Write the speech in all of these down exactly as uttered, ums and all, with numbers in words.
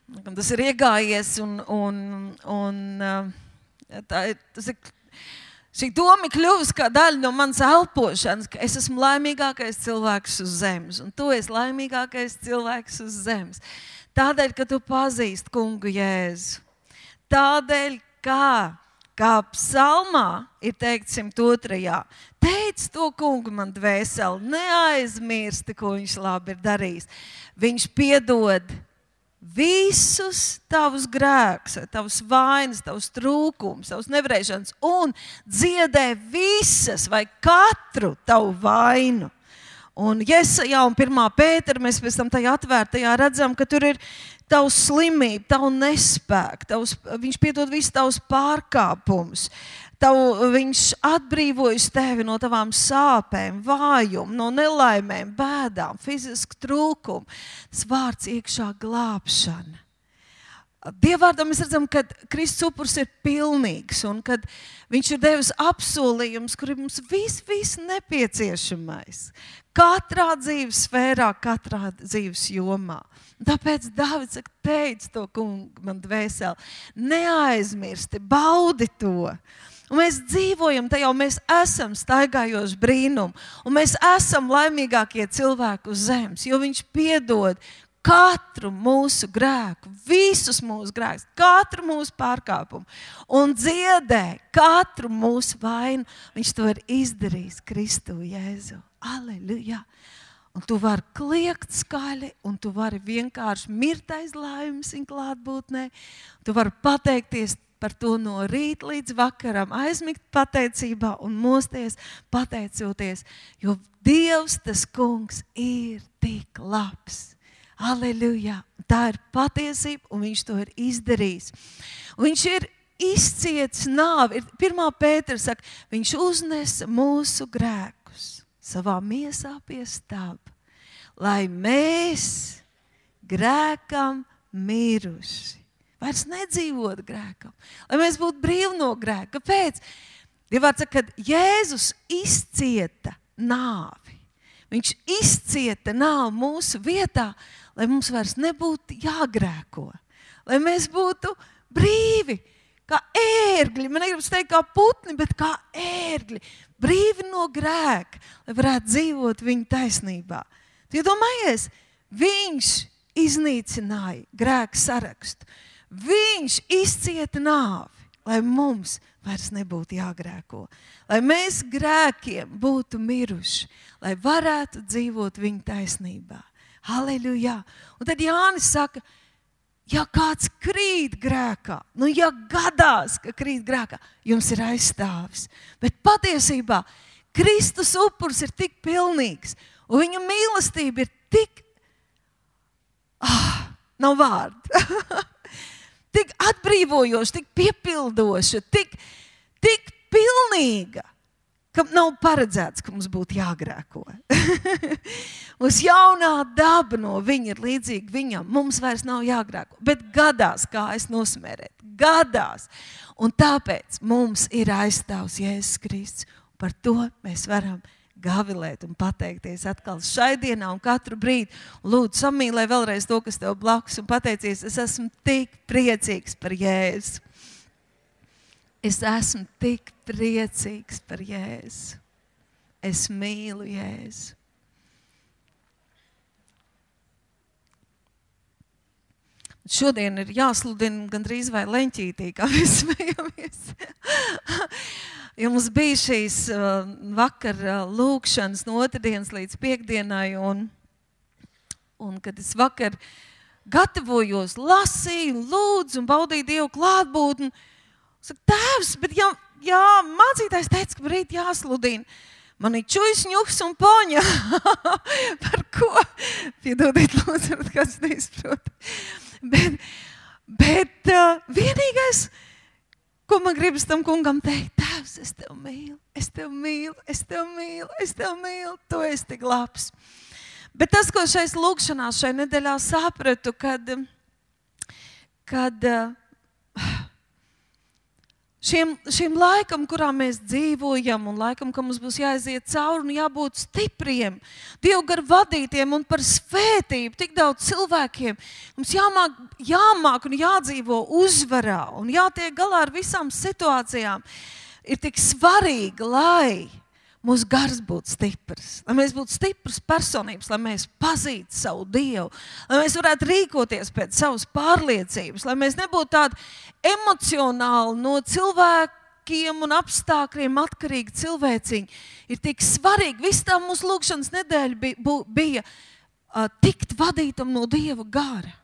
Tas ir iegājies un, un, un tā, tas ir, šī doma kļuvusi kā daļa no manas elpošanas, ka es esmu laimīgākais cilvēks uz zemes, un tu esi laimīgākais cilvēks uz zemes. Tādēļ, ka tu pazīsti kungu Jēzu. Tādēļ, kā, kā psalmā ir teikt simt otrajā. Teic to kungu man dvēseli, neaizmirsti, ko viņš labi ir darījis. Viņš piedod visus tavus grēkus, tavus vainas, tavus trūkumus, tavus nevarēšanas un dziedē visas vai katru tavu vainu. Un Jesajā un pirmā Pētera mēs pēc tam tajā atvērtajā redzam, ka tur ir tavs slimība, tavu nespēku, tavus, viņš piedod visus tavus pārkāpumus. Tavu, viņš atbrīvojas tevi no tavām sāpēm, vājumu, no nelaimēm, bēdām, fizisku trūkumu. Tas vārds iekšā glābšana. Dievvārdā mēs redzam, ka Kristus upuris ir pilnīgs un kad viņš ir devis apsolījums, kur ir mums viss, viss nepieciešamais. Katrā dzīves sfērā, katrā dzīves jomā. Tāpēc Dāvids saka, teic to kungu man dvēseli, neaizmirsti, baudi to. Un mēs dzīvojam tajā, un mēs esam staigājoši brīnumu, un mēs esam laimīgākie cilvēki uz zemes, jo viņš piedod katru mūsu grēku, visus mūsu grēkus, katru mūsu pārkāpumu, un dziedē katru mūsu vainu. Viņš to ir izdarījis Kristu Jēzu. Aleluja! Un tu vari kliegt skaļi, un tu vari vienkārši mirt aiz laimes viņa klātbūtnē. Tu vari pateikties par to no rīta līdz vakaram, aizmigt pateicībā un mosties pateicoties, jo Dievs, tas kungs, ir tik labs. Aleluja! Tā ir patiesība, un viņš to ir izdarījis. Un viņš ir izcietis nāvi. Pirmā Pētera saka, viņš uznesa mūsu grēkus savā miesā pie staba, lai mēs grēkam miruši. Vairs nedzīvot grēkam, lai mēs būtu brīvi no grēka. Kāpēc? Dievvārds saka, kad Jēzus izcieta nāvi. Viņš izcieta nāvi mūsu vietā, lai mums vairs nebūtu jāgrēko. Lai mēs būtu brīvi, kā ērgļi. Man negribas teikt kā putni, bet kā ērgļi. Brīvi no grēka, lai varētu dzīvot viņa taisnībā. Tu iedomājies, viņš iznīcināja grēku sarakstu. Viņš izcieta nāvi, lai mums vairs nebūtu jāgrēko. Lai mēs grēkiem būtu miruši, lai varētu dzīvot viņa taisnībā. Halleluja! Un tad Jānis saka, ja kāds krīt grēkā, nu ja gadās, ka krīt grēkā, jums ir aizstāvis. Bet patiesībā Kristus upuris ir tik pilnīgs, un viņa mīlestība ir tik, ah, nav vārdu, tik atbrīvojoša, tik piepildoša, tik, tik pilnīga, ka nav paredzēts, ka mums būtu jāgrēko. Mums jaunā daba no viņa ir līdzīga viņam. Mums vairs nav jāgrēko, bet gadās kājas nosmērēt. Gadās. Un tāpēc mums ir aizstāvs Jēzus Kristus. Par to mēs varam gavilēt un pateikties atkal šai dienā un katru brīdi. Lūdzu, samīlē vēlreiz to, kas tev blakus un pateicies, es esmu tik priecīgs par Jēzu. Es esmu tik priecīgs par Jēzu. Es mīlu Jēzu. Šodien ir jāsludina gandrīz vai leņķītī, kā mēs smejamies. Jo mums bija šīs uh, vakar uh, lūkšanas no otrdienas līdz piekdienai, un, un kad es vakar gatavojos, lasīju, lūdzu un baudīju Dievu klātbūtni, saka, tēvs, bet jā, jā, mācītājs teica, ka rīt jāsludina. Man ir čujas, ņuks un poņa. Par ko? Piedodiet, lūdzu, kāds neizprot. Bet, bet uh, vienīgais, ko man gribas tam kungam teikt, tēvs, es tev mīlu, es tev mīlu, es tev mīlu, es tev mīlu, tu esi tik labs. Bet tas, ko šais lūkšanās šai nedēļā sapratu, kad, kad uh, šiem, šiem laikam, kurā mēs dzīvojam, un laikam, ka mums būs jāiziet cauri un jābūt stipriem, Dievu gar vadītiem un par svētību tik daudz cilvēkiem. Mums jāmāk, jāmāk un jādzīvo uzvarā un jātiek galā ar visām situācijām. Ir tik svarīgi, lai mūsu gars būtu stiprs, lai mēs būtu stipras personības, lai mēs pazītu savu Dievu, lai mēs varētu rīkoties pēc savas pārliecības, lai mēs nebūtu tādi emocionāli no cilvēkiem un apstākļiem atkarīgi cilvēciņi. Ir tik svarīgi, viss tā mūsu lūkšanas nedēļa bija, bija uh, tikt vadītam no Dieva gara.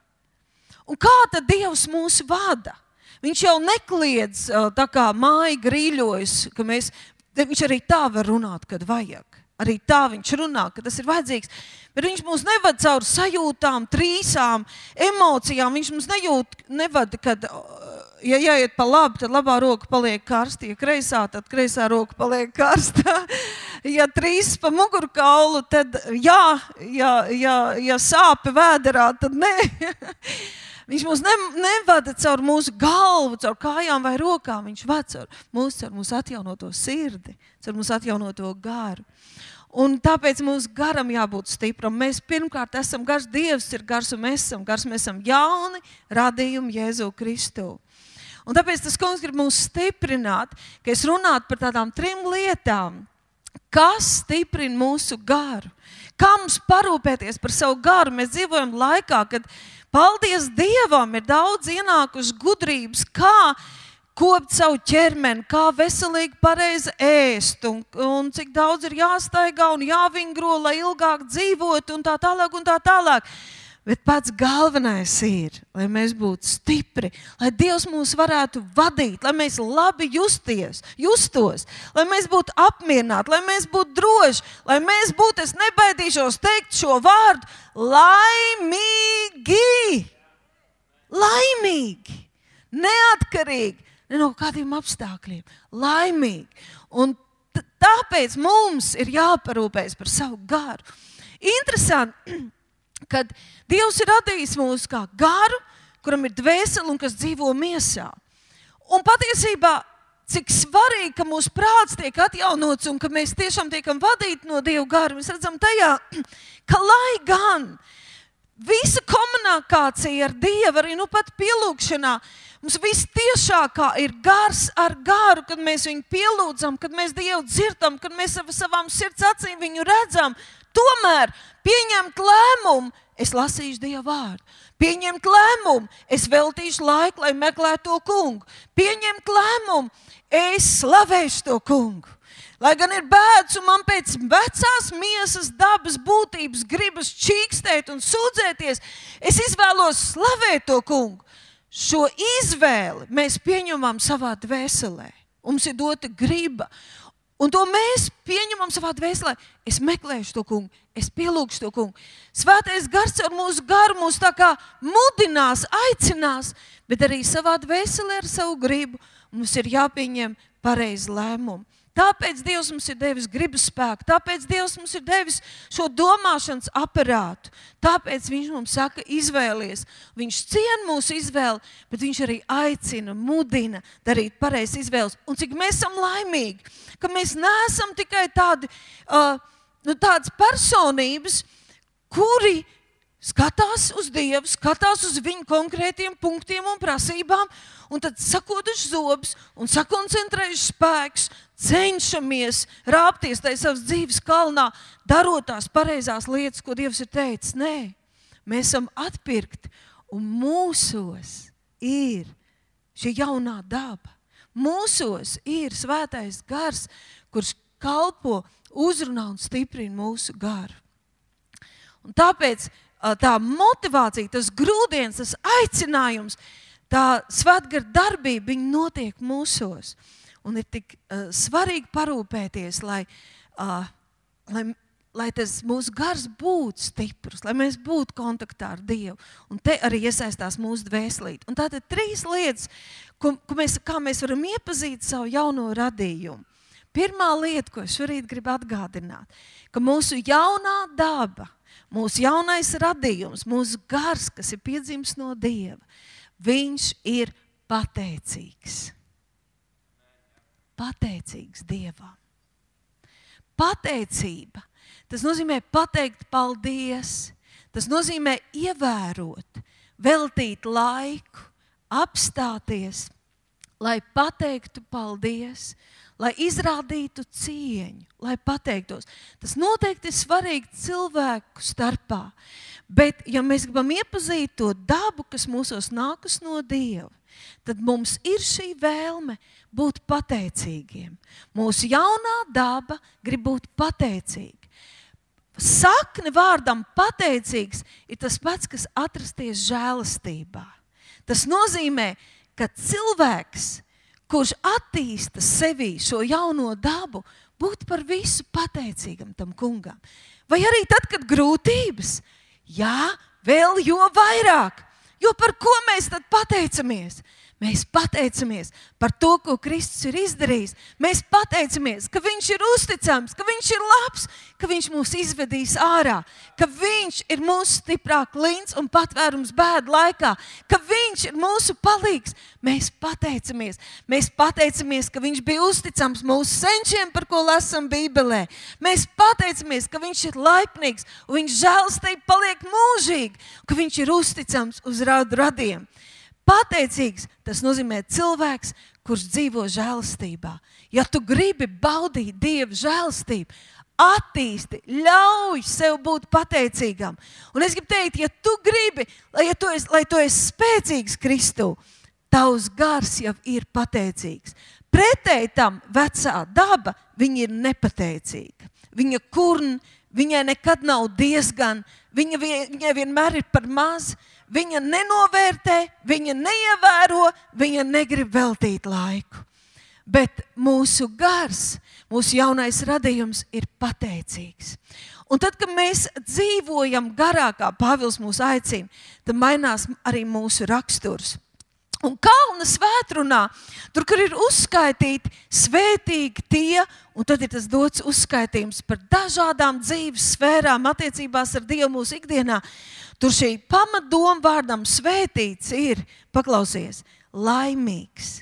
Un kā tad Dievs mūs vada? Viņš jau nekliedz uh, tā kā māja grīļojas, ka mēs Viņš arī tā var runāt, kad vajag. Arī tā viņš runā, ka tas ir vajadzīgs. Bet viņš mūs nevad caur sajūtām, trīsām, emocijām. Viņš mums nejūt, nevad, kad, ja jāiet pa labi, tad labā roka paliek karsta. Ja kreisā, tad kreisā roka paliek karsta. Ja trīs pa mugurkaulu, tad jā, ja, ja, ja sāpe vēderā, tad nē. Viņš mūs ne, nevada caur mūsu galvu, caur kājām vai rokām. Viņš vada caur mūsu, caur mūsu atjaunoto sirdi, caur mūsu atjaunoto garu. Un tāpēc mūsu garam jābūt stipram. Mēs pirmkārt esam gars, Dievs ir gars un mēs esam gars. Mēs esam jauni radījumi Jēzu Kristu. Un tāpēc tas kungs grib mūs stiprināt, ka es runātu par tādām trim lietām, kas stiprina mūsu garu. Kā mums parūpēties par savu garu? Mēs dzīvojam laikā, kad paldies Dievam ir daudz ienākuši gudrības, kā kopt savu ķermeni, kā veselīgi pareizi ēst, un, un cik daudz ir jāstaigā un jāvingro, lai ilgāk dzīvot un tā tālāk un tā tālāk. Bet pats galvenais ir, lai mēs būtu stipri, lai Dievs mūs varētu vadīt, lai mēs labi justies, justos, lai mēs būtu apmierināti, lai mēs būtu droši, lai mēs būtu, es nebaidīšos teikt šo vārdu, laimīgi, laimīgi, neatkarīgi, ne no kādiem apstākļiem, laimīgi. Un t- tāpēc mums ir jāparūpējas par savu garu. Interesanti, kad Dievs ir radījis mūs kā garu, kuram ir dvēsele un kas dzīvo miesā. Un patiesībā, cik svarīgi, ka mūsu prāts tiek atjaunots un ka mēs tiešām tiekam vadīti no Dieva gara, mēs redzam tajā, ka lai gan visa komunikācija ar Dievu, arī nu pat pielūgšanā, mums viss tiešākā ir gars ar garu, kad mēs viņu pielūdzam, kad mēs Dievu dzirdam, kad mēs ar savām sirds acīm viņu redzam. Tomēr pieņemt lēmumu, es lasīšu Dieva vārdu. Pieņemt lēmumu, es veltīšu laiku, lai meklētu to kungu. Pieņemt lēmumu, es slavēšu to kungu. Lai gan ir bēdas un man pēc vecās miesas dabas būtības gribas čīkstēt un sūdzēties, es izvēlos slavēt to kungu. Šo izvēli mēs pieņemam savā dvēselē. Mums ir dota griba. Un to mēs pieņemam savā dvēselē. Es meklēšu to kungu, es pielūgšu to kungu. Svētais gars ar mūsu garu mūs tā kā mudinās, aicinās, bet arī savā dvēselē ar savu gribu mums ir jāpieņem pareizi lēmumi. Tāpēc Dievs mums ir devis gribas spēku, tāpēc Dievs mums ir devis šo domāšanas aparātu. Tāpēc viņš mums saka, izvēlies. Viņš ciena mūsu izvēli, bet viņš arī aicina, mudina darīt pareizi izvēles. Un cik mēs esam laimīgi, ka mēs neesam tikai tādi, uh, nu, tādas personības, kuri skatās uz Dievu, skatās uz viņu konkrētiem punktiem un prasībām, un tad sakoduši zobus un sakoncentrējuši spēkus, cenšamies rāpties tajā savas dzīves kalnā, darot tās pareizās lietas, ko Dievs ir teicis. Nē, mēs esam atpirkti, un mūsos ir šī jaunā daba. Mūsos ir svētais gars, kurš kalpo, uzrunā un stiprina mūsu garu. Un tāpēc tā motivācija, tas grūdienis, tas aicinājums, tā svētgara darbība, viņa notiek mūsos. Un ir tik uh, svarīgi parūpēties, lai, uh, lai, lai tas mūsu gars būtu stiprs, lai mēs būtu kontaktā ar Dievu. Un te arī iesaistās mūsu dvēselīte. Un tātad trīs lietas, ko, ko mēs, kā mēs varam iepazīt savu jauno radījumu. Pirmā lieta, ko es šorīt gribu atgādināt, ka mūsu jaunā daba, mūsu jaunais radījums, mūsu gars, kas ir piedzimis no Dieva, viņš ir pateicīgs. pateicīgs Dievam. Pateicība, tas nozīmē pateikt paldies, tas nozīmē ievērot, veltīt laiku, apstāties, lai pateiktu paldies, lai izrādītu cieņu, lai pateiktos. Tas noteikti ir svarīgi cilvēku starpā, bet ja mēs gribam iepazīt to dabu, kas mūsos nākas no Dieva, tad mums ir šī vēlme būt pateicīgiem. Mūsu jaunā daba grib būt pateicīga. Sakne vārdam pateicīgs ir tas pats, kas atrasties žēlastībā. Tas nozīmē, ka cilvēks, kurš attīsta sevī šo jauno dabu, būt par visu pateicīgam tam kungam. Vai arī tad, kad grūtības? Jā, vēl jo vairāk. Jo par ko mēs tad pateicamies? Mēs pateicamies par to, ko Kristus ir izdarījis. Mēs pateicamies, ka viņš ir uzticams, ka viņš ir labs, ka viņš mūs izvedīs ārā, ka viņš ir mūsu stiprā klints un patvērums bēdu laikā, ka viņš ir mūsu palīgs. Mēs pateicamies. Mēs pateicamies, ka viņš bija uzticams mūsu senčiem, par ko lasam Bībelē. Mēs pateicamies, ka viņš ir laipnīgs un viņš žēlastība paliek mūžīgi, ka viņš ir uzticams uz radu radiem. Pateicīgs, tas nozīmē cilvēks, kurš dzīvo žēlastībā. Ja tu gribi baudīt Dieva žēlastību, attīsti, ļauj sev būt pateicīgam. Un es gribu teikt, ja tu gribi, lai, ja tu esi, lai tu esi spēcīgs Kristū, tavs gars jau ir pateicīgs. Pretēji tam vecā daba, viņa ir nepateicīga. Viņa kurn, viņai nekad nav diezgan, viņa, viņai vienmēr ir par maz. Viņa nenovērtē, viņa neievēro, viņa negrib veltīt laiku. Bet mūsu gars, mūsu jaunais radījums ir pateicīgs. Un tad, kad mēs dzīvojam garā, kā Pāvils mūs aicina, tad mainās arī mūsu raksturs. Un Kalna svētrunā, tur, kur ir uzskaitīti svētīgi tie, un tad ir tas dots uzskaitījums par dažādām dzīves sfērām, attiecībās ar Dievu mūsu ikdienā. Tur šī pamatdoma vārdam svētīts ir, paklausies, laimīgs,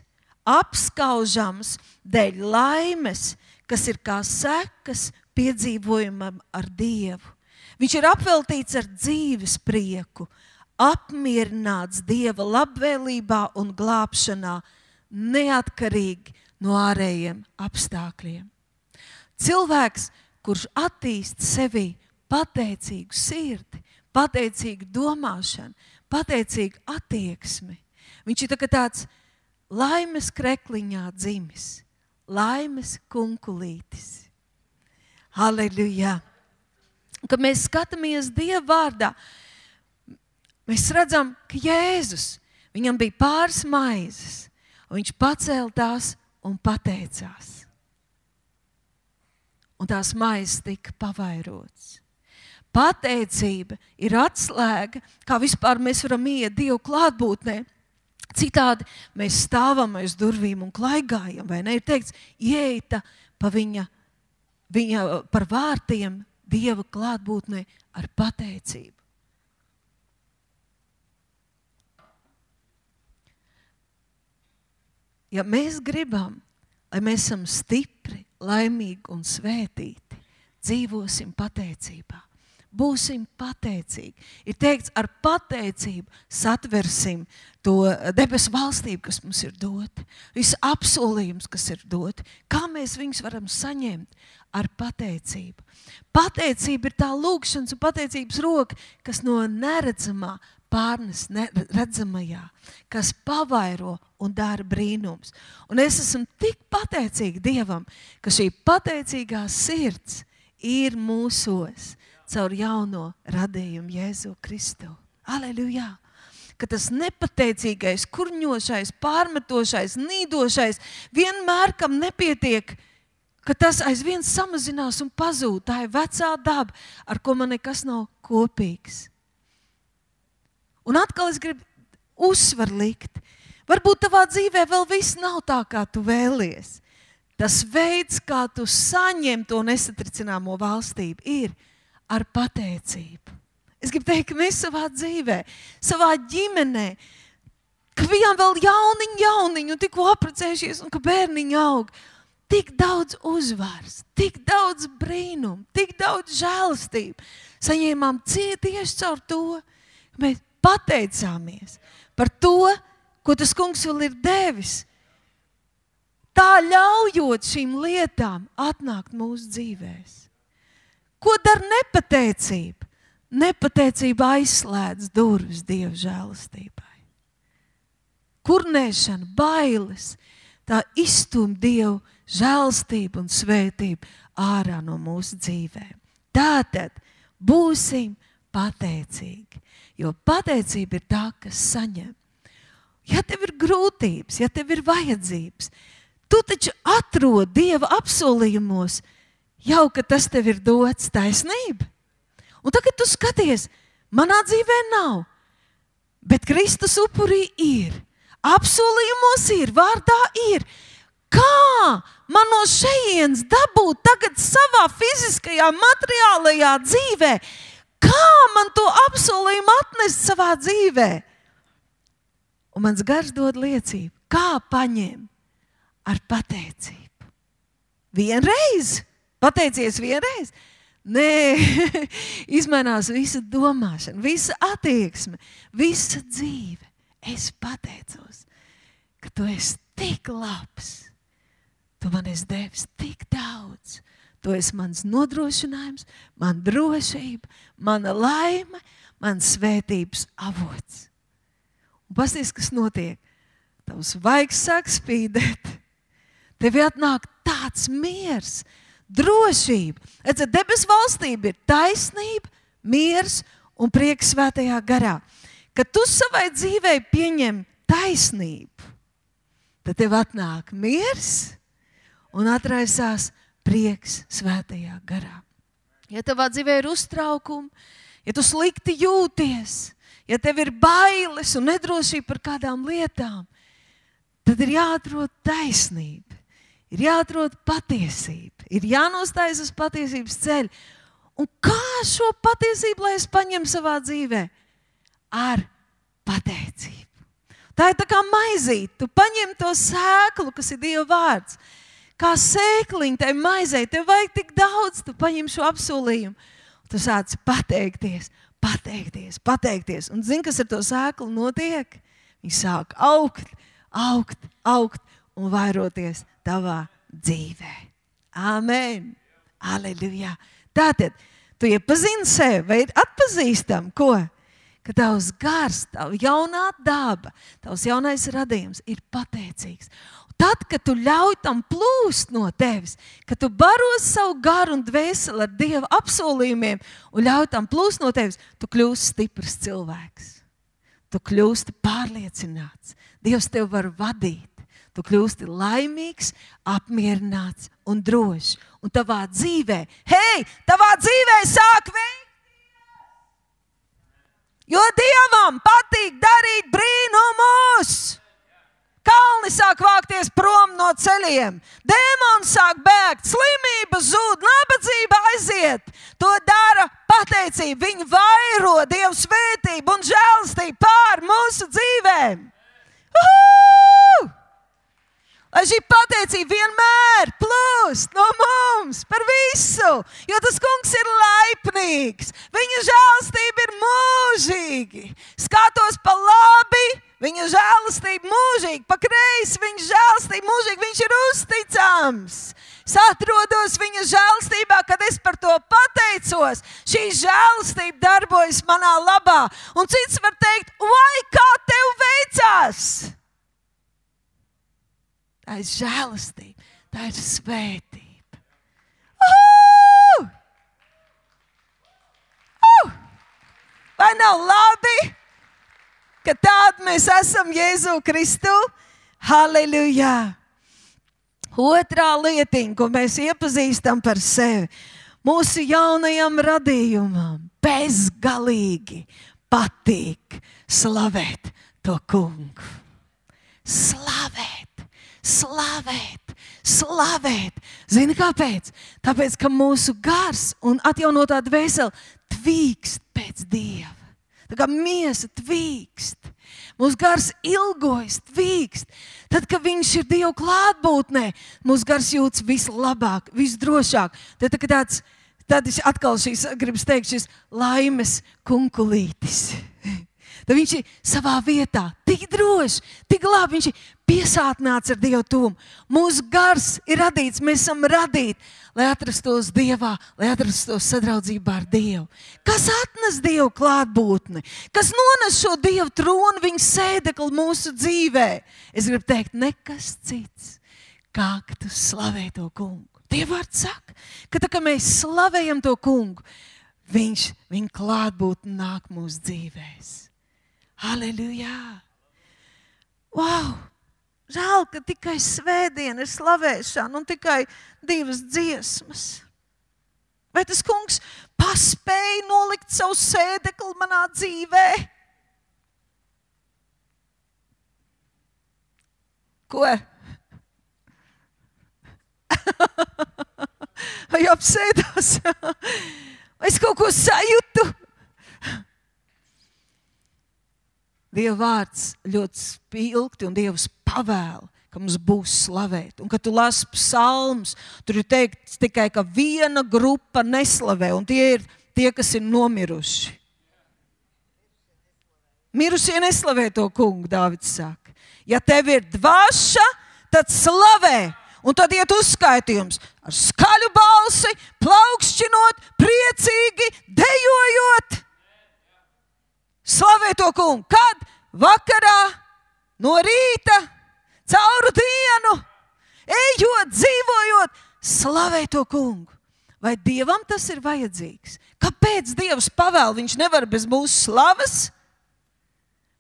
apskaužams dēļ laimes, kas ir kā sekas piedzīvojumam ar Dievu. Viņš ir apveltīts ar dzīves prieku, apmierināts Dieva labvēlībā un glābšanā, neatkarīgi no ārējiem apstākļiem. Cilvēks, kurš attīst sevī pateicīgu sirdi, pateicīgu domāšanu, pateicīgu attieksmi, viņš ir tāds laimes krekliņā dzimis, laimes kunkulītis. Halleluja! Kad mēs skatāmies Dieva vārdā, mēs redzam, ka Jēzus, viņam bija pāris maizes, un viņš pacēla tās un pateicās. Un tās maizes tika pavairotas. Pateicība ir atslēga, kā vispār mēs varam iet Dievu klātbūtnē. Citādi mēs stāvam aiz durvīm un klaigājam, vai ne? Ir teikts, ieita pa viņa, viņa par vārtiem Dieva klātbūtnē ar pateicību. Ja mēs gribam, lai mēs esam stipri, laimīgi un svētīti, dzīvosim pateicībā. Būsim pateicīgi. Ir teikts, ar pateicību satversim to debesu valstību, kas mums ir dota. Visu apsolījums, kas ir doti. Kā mēs viņus varam saņemt? Ar pateicību. Pateicība ir tā lūgšanas un pateicības roka, kas no neredzamā pārnes redzamajā, kas pavairo un dara brīnums. Un es esmu tik pateicīga Dievam, ka šī pateicīgā sirds ir mūsos caur jauno radījumu Jēzu Kristu. Aleluja! Ka tas nepateicīgais, kurņošais, pārmetošais, nīdošais, vienmēr kam nepietiek, ka tas aizvien samazinās un pazūd. Tā ir vecā daba, ar ko man nekas nav kopīgs. Un atkal es gribu uzsvaru likt. Varbūt tavā dzīvē vēl viss nav tā, kā tu vēlies. Tas veids, kā tu saņem to nesatricināmo valstību, ir ar pateicību. Es gribu teikt, ka mēs savā dzīvē, savā ģimenē, ka bijām vēl jauniņi, jauniņi un tikko apprecējušies un ka bērniņi aug. tik daudz uzvaras, tik daudz brīnumu, tik daudz žēlastību. Saņēmām tieši caur to, ka mēs pateicāmies par to, ko tas kungs vēl ir devis. Tā ļaujot šīm lietām atnākt mūsu dzīvēs. Ko dara nepateicība? Nepateicība aizslēdz durvis Dieva žēlastībai. Kurnēšana, bailes, tā izstum Dievu žēlastību un svētību ārā no mūsu dzīvēm. Tātad būsim pateicīgi, jo pateicība ir tā, kas saņem. Ja tev ir grūtības, ja tev ir vajadzības, tu taču atrod Dieva apsolījumos, jau, ka tas tev ir dots, taisnība. Un tagad tu skaties, manā dzīvē nav, bet Kristus upurī ir. Apsolījumos ir, vārdā ir. Kā man no šejienes dabūt tagad savā fiziskajā, materiālajā dzīvē? Kā man to apsolījumu atnest savā dzīvē? Un mans gars dod liecību, kā paņem ar pateicību. Vienreiz? Pateicies vienreiz? Nē, izmainās visa domāšana, visa attieksme, visa dzīve. Es pateicos, ka tu esi tik labs. Tu man esi devis tik daudz. Tu esi mans nodrošinājums, man drošība, mana laime, man svētības avots. Un pasties, kas notiek. Tavs vaigs sāk spīdēt. Tev atnāk tāds miers, drošība. Redz, debes valstība ir taisnība, miers un prieks svētajā garā. Kad tu savai dzīvei pieņem taisnību, tad tev atnāk miers un atraisās prieks svētajā garā. Ja tavā dzīvē ir uztraukumi, ja tu slikti jūties, ja tev ir bailes un nedrošība par kādām lietām, tad ir jāatrod taisnība, ir jāatrod patiesība, ir jānostājas uz patiesības ceļu. Un kā šo patiesību, lai es paņemu savā dzīvē? Ar pateicību. Tā ir tā kā maizīt. Tu paņem to sēklu, kas ir Dieva vārds. Kā sēkliņa tai maizei. Tev vajag tik daudz, tu paņem šo apsolījumu. Tu sāc pateikties, pateikties, pateikties. Un zini, kas ar to sēklu notiek? Viņi sāk augt, augt, augt un vairoties tavā dzīvē. Amen. Aleluja. Tātad, tu iepazini sevi, vai ir atpazīstam, ko? Ka tavs gars, tava jaunā daba, tavs jaunais radījums ir pateicīgs. Tad, kad tu ļauj tam plūst no tevis, kad tu baros savu garu un dvēseli ar Dieva apsolījumiem un ļauj tam plūst no tevis, tu kļūsi stiprs cilvēks. Tu kļūsti pārliecināts. Dievs tev var vadīt. Tu kļūsti laimīgs, apmierināts un drošs. Un tavā dzīvē, hei, tavā dzīvē sāk veikt. Jo Dievam patīk darīt brīnumus. Kalni sāk vākties prom no ceļiem. Dēmoni sāk bēgt, slimība zūd, nabadzība aiziet. To dara pateicība. Viņi vairo Dievu svētību un žēlastību pār mūsu dzīvēm. Uhu! Lai šī pateicība vienmēr plūst no mums par visu, jo tas kungs ir laipnīgs. Viņa žēlastība ir mūžīgi. Skatos pa labi, viņa žēlastība mūžīgi, pa kreisi viņa žēlastība mūžīgi, viņš ir uzticams. Es atrodos viņa žēlastībā, kad es par to pateicos. Šī žēlastība darbojas manā labā. Un cits var teikt, vai kā tev veicās? Tā ir žēlastība, tā ir svētība. Uh! Uh! Vai nav labi, ka tādi mēs esam Jēzu Kristu? Halleluja! Otrā lietiņa, ko mēs iepazīstam par sevi, mūsu jaunajam radījumam bezgalīgi patīk slavēt to kungu. Slavēt! Slavēt, slavēt. Zini kāpēc? Tāpēc, ka mūsu gars un atjaunotā dvēsele tvīkst pēc Dieva. Tā kā miesa tvīkst. Mūsu gars ilgojas, tvīkst. Tad, kad viņš ir Dieva klātbūtnē, mūsu gars jūtas vislabāk, visdrošāk. Tad, kad tāds, tad atkal šīs, gribas teikt, šis laimes kunkulītis. Tad viņš ir savā vietā, tik droši, tik labi, viņš ir piesātnāts ar Dievu tuvumu. Mūsu gars ir radīts, mēs esam radīti, lai atrastos Dievā, lai atrastos sadraudzībā ar Dievu. Kas atnes Dievu klātbūtni? Kas nones šo Dievu tronu, viņa sēdekli mūsu dzīvē? Es gribu teikt, nekas cits, kā ka tu slavē to kungu. Dieva vārds saka, ka tā kā mēs slavējam to kungu, viņš, viņa klātbūtni nāk mūsu dzīvēs. Halleluja! Wow! Žēl, ka tikai svētdiena ir slavēšana un tikai divas dziesmas. Vai tas kungs paspēja nolikt savu sēdekli manā dzīvē? Ko? Vai apsēdās? Vai es kaut ko sajūtu? Dieva vārds ļoti spilgti un Dievs pavēl, ka mums būs slavēt. Un, kad tu lasi psalmus, tur ir teikts tikai, ka viena grupa neslavē, un tie ir tie, kas ir nomiruši. Mirušie neslavē to kungu, Dāvids saka. Ja tev ir dvaša, tad slavē. Un tad iet uzskaitījums ar skaļu balsi, plaukšķinot, priecīgi, dejojot. Slavē to kungu. Kad? Vakarā, no rīta, cauru dienu, ejot, dzīvojot, slavē to kungu. Vai Dievam tas ir vajadzīgs? Kāpēc Dievs pavēl? Viņš nevar bez mūsu slavas?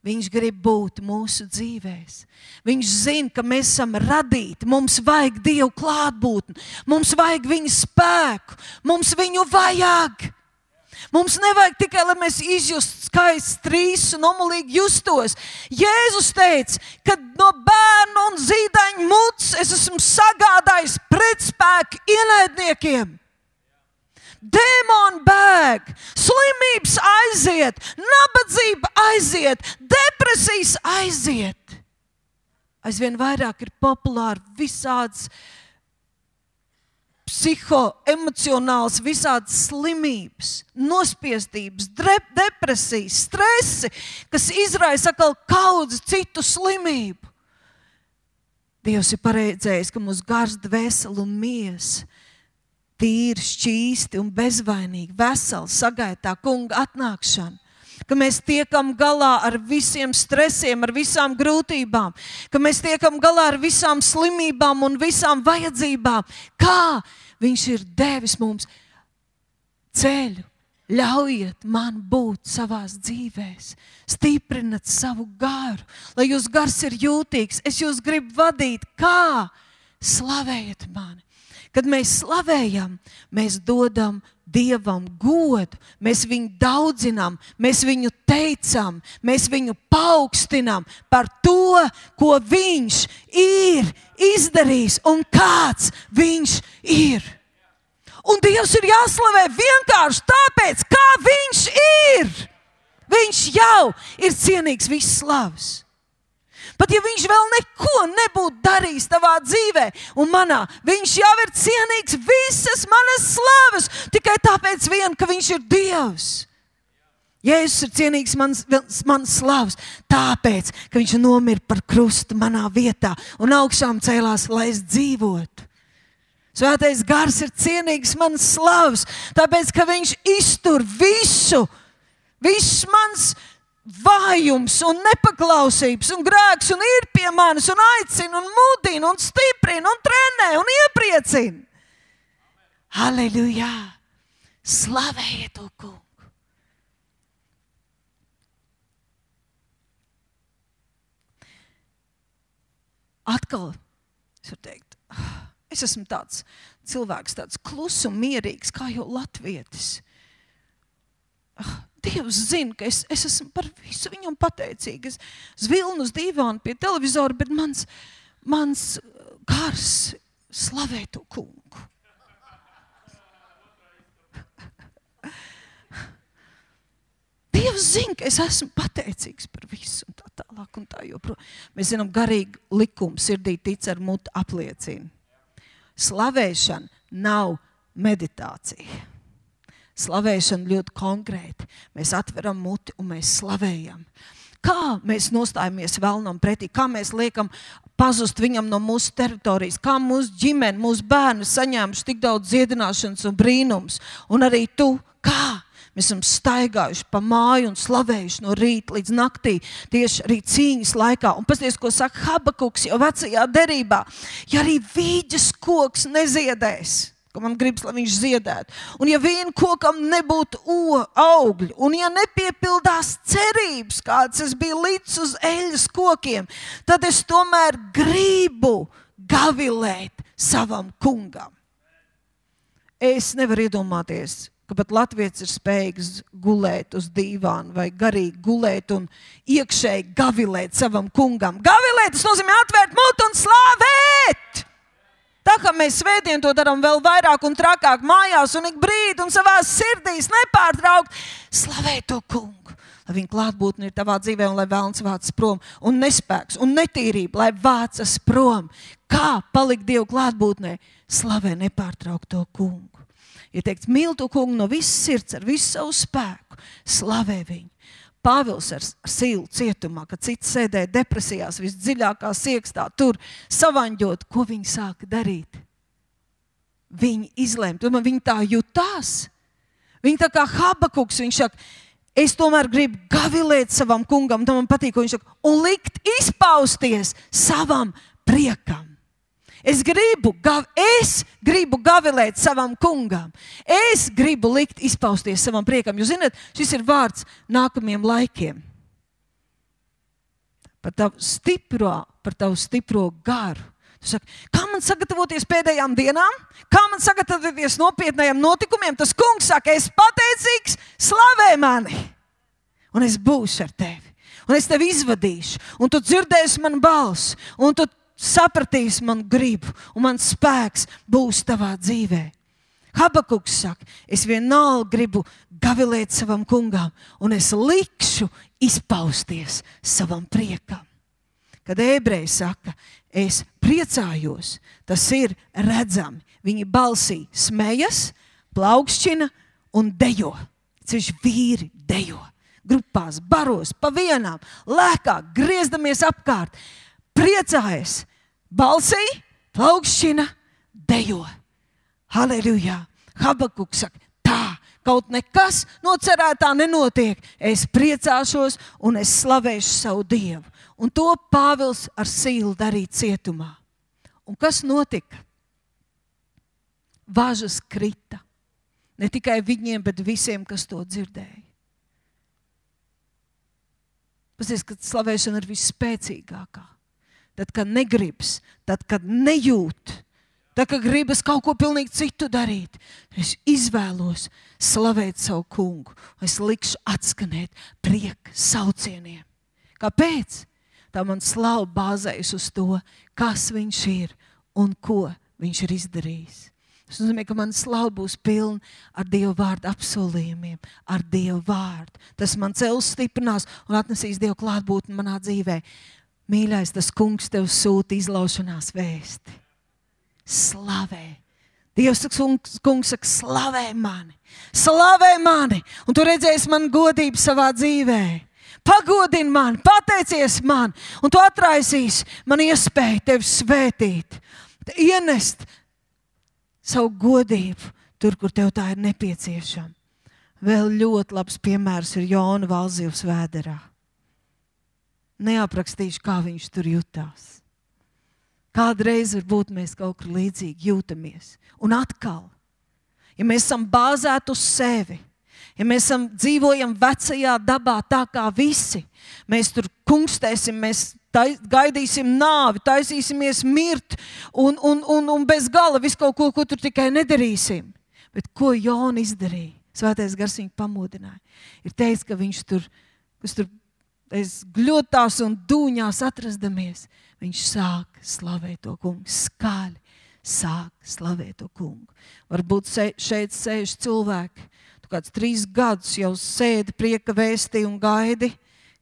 Viņš grib būt mūsu dzīvēs. Viņš zina, ka mēs esam radīti. Mums vajag Dievu klātbūtni. Mums vajag viņa spēku. Mums viņu vajag. Mums nevajag tikai, lai mēs izjustu skaistu trīsu un omulīgi justos. Jēzus teica, ka no bērnu un zīdaiņu mutes es esmu sagādājis pretspēku ienaidniekiem. Dēmoni bēg, slimības aiziet, nabadzība aiziet, depresijas aiziet. Aizvien vairāk ir populāri visādas psihoemocionāls, visādas slimības, nospiestības, depresijas, stresi, kas izraisa atkal kaudzi citu slimību. Dievs ir paredzējis, ka mūsu gars, dvēseli un miesa tīri, šķīsti un bezvainīgi, veseli sagaida tā kunga atnākšanu. Ka mēs tiekam galā ar visiem stresiem, ar visām grūtībām, ka mēs tiekam galā ar visām slimībām un visām vajadzībām. Kā viņš ir devis mums ceļu? Ļaujiet man būt savās dzīvēs, stiprinat savu garu, lai jūs gars ir jūtīgs. Es jūs gribu vadīt, kā slavējiet mani. Kad mēs slavējam, mēs dodam Dievam godu, mēs viņu daudzinām, mēs viņu teicam, mēs viņu paaugstinām par to, ko viņš ir izdarījis un kāds viņš ir. Un Dievs ir jāslavē vienkārši tāpēc, kā viņš ir. Viņš jau ir cienīgs visas slavas. Pat ja viņš vēl neko nebūtu darījis tavā dzīvē un manā, viņš jau ir cienīgs visas manas slavas, tikai tāpēc vien, ka viņš ir Dievs. Jēzus ir cienīgs manas, manas slavas, tāpēc, ka viņš nomira par krustu manā vietā un augšām cēlās, lai es dzīvotu. Svētais gars ir cienīgs manas slavas, tāpēc, ka viņš iztur visu, viss mans vājums un nepaklausības un grēks un ir pie manis un aicina un mudina un stiprina un trenē un iepriecina. Halleluja! Slavējiet to kungu! Atkal, es varu teikt, es esmu tāds cilvēks, tāds klus un mierīgs, kā jau latvietis. Dievs zina, ka es, es esmu par visu viņam pateicīga. Es zvilnu uz dīvānu pie televizora, bet mans, mans gars slavē to kungu. Dievs zina, ka es esmu pateicīgs par visu un tā tālāk un tā joprojām. Mēs zinām, garīgi likumi sirdī tic ar mutu apliecina. Slavēšana nav meditācija. Slavēšana ļoti konkrēti. Mēs atveram muti un mēs slavējam. Kā mēs nostājamies vēlnam pretī, kā mēs liekam pazust viņam no mūsu teritorijas, kā mūsu ģimene, mūsu bērni saņēmuši tik daudz dziedināšanas un brīnums. Un arī tu, kā? Mēs esam staigājuši pa māju un slavējuši no rīta līdz naktī, tieši arī cīņas laikā. Un pasties, ko saka Habakuks jau vecajā derībā, ja arī vīģes koks neziedēs, ka man gribas, lai viņš ziedētu. Un ja vien kokam nebūtu o, augļu, un ja nepiepildās cerības, kāds es biju līdz uz eļas kokiem, tad es tomēr gribu gavilēt savam kungam. Es nevaru iedomāties, ka pat latvietis ir spējīgs gulēt uz dīvānu vai garīgi gulēt un iekšēji gavilēt savam kungam. Gavilēt, tas nozīmē atvērt mutu un slavēt! Tā kā mēs svētdien to darām vēl vairāk un trakāk mājās un ik brīdi un savās sirdīs nepārtraukt, slavē to kungu, lai viņa klātbūtne ir tavā dzīvē un lai velns vācas prom un nespēks un netīrība, lai vācas prom. Kā palikt Dievu klātbūtnē? Slavē nepārtraukt to kungu. Ja teikts, mīl to kungu no visas sirds, ar visu savu spēku, slavē viņu. Pāvils ar Sīlu cietumā, kad cits sēdēja depresijās, visdziļākā siekstā, tur savaņģot, ko viņi sāka darīt. Viņi izlēma, tomēr viņi tā jutās. Viņi tā kā Habakuks, viņš saka, es tomēr gribu gavilēt savam kungam, tam man patīk, ko viņš saka, un likt izpausties savam priekam. Es gribu, es gribu gavilēt savam kungam. Es gribu likt izpausties savam priekam. Jūs zināt, šis ir vārds nākamajiem laikiem. Par tavu stipro, par tavu stipro garu. Tu saki, kā man sagatavoties pēdējām dienām? Kā man sagatavoties nopietnējiem notikumiem? Tas kungs saka, es pateicīgs, slavē mani. Un es būšu ar tevi. Un es tevi izvadīšu. Un tu dzirdēsi manu balsi. Un tu sapratīs man gribu, un mans spēks būs tavā dzīvē. Habakuks saka, es vienalga gribu gavilēt savam kungam, un es likšu izpausties savam priekam. Kad ebreji saka, es priecājos, tas ir redzami. Viņi balsī smejas, plaukšķina un dejo. Ceļš vīri dejo. Grupās, baros, pa vienām, lēkā, griezdamies apkārt. Priecājas, balsī, plaukšķina, dejo. Halleluja! Habakuks saka, tā, kaut nekas no cerētā nenotiek. Es priecāšos un es slavēšu savu Dievu. Un to Pāvils ar Sīlu darīja cietumā. Un kas notika? Važas krita. Ne tikai viņiem, bet visiem, kas to dzirdēja. Pasies, kad slavēšana ir visspēcīgākā. Tad, kad negribas, tad, kad nejūt, tad, kad gribas kaut ko pilnīgi citu darīt, es izvēlos slavēt savu kungu. Es likšu atskanēt prieka saucieniem. Kāpēc? Tā man slava bāzējas uz to, kas viņš ir un ko viņš ir izdarījis. Tas nozīmē, ka man slava būs pilna ar Dieva vārdu apsolījumiem, ar Dieva vārdu. Tas man cels stiprinās un atnesīs Dieva klātbūtni manā dzīvē. Mīļais, tas kungs tev sūta izlaušanās vēsti. Slavē. Dievs kungs, kungs saka, slavē mani. Slavē mani. Un tu redzēsi man godību savā dzīvē. Pagodini mani, pateicies man. Un tu atraisīsi man iespēju tevi svētīt. Ienest savu godību tur, kur tev tā ir nepieciešama. Vēl ļoti labs piemērs ir Jona Valzivs vēderā. Neaprakstīšu, kā viņš tur jutās. Kādreiz varbūt mēs kaut kur līdzīgi jūtamies. Un atkal, ja mēs esam bāzēti uz sevi, ja mēs esam, dzīvojam vecajā dabā tā kā visi, mēs tur kungstēsim, mēs tais, gaidīsim nāvi, taisīsimies mirt un, un, un, un bez gala visu kaut ko, ko tur tikai nedarīsim. Bet ko Jona izdarīja? Svētais Gars viņu pamodināja. Ir teicis, ka viņš tur, kas tur es gļotās un dūņās atrasdamies, viņš sāk slavēt to kungu, skaļi sāk slavēt to kungu. Varbūt šeit sēž cilvēki, tu kāds trīs gadus jau sēdi prieka vēstī un gaidi,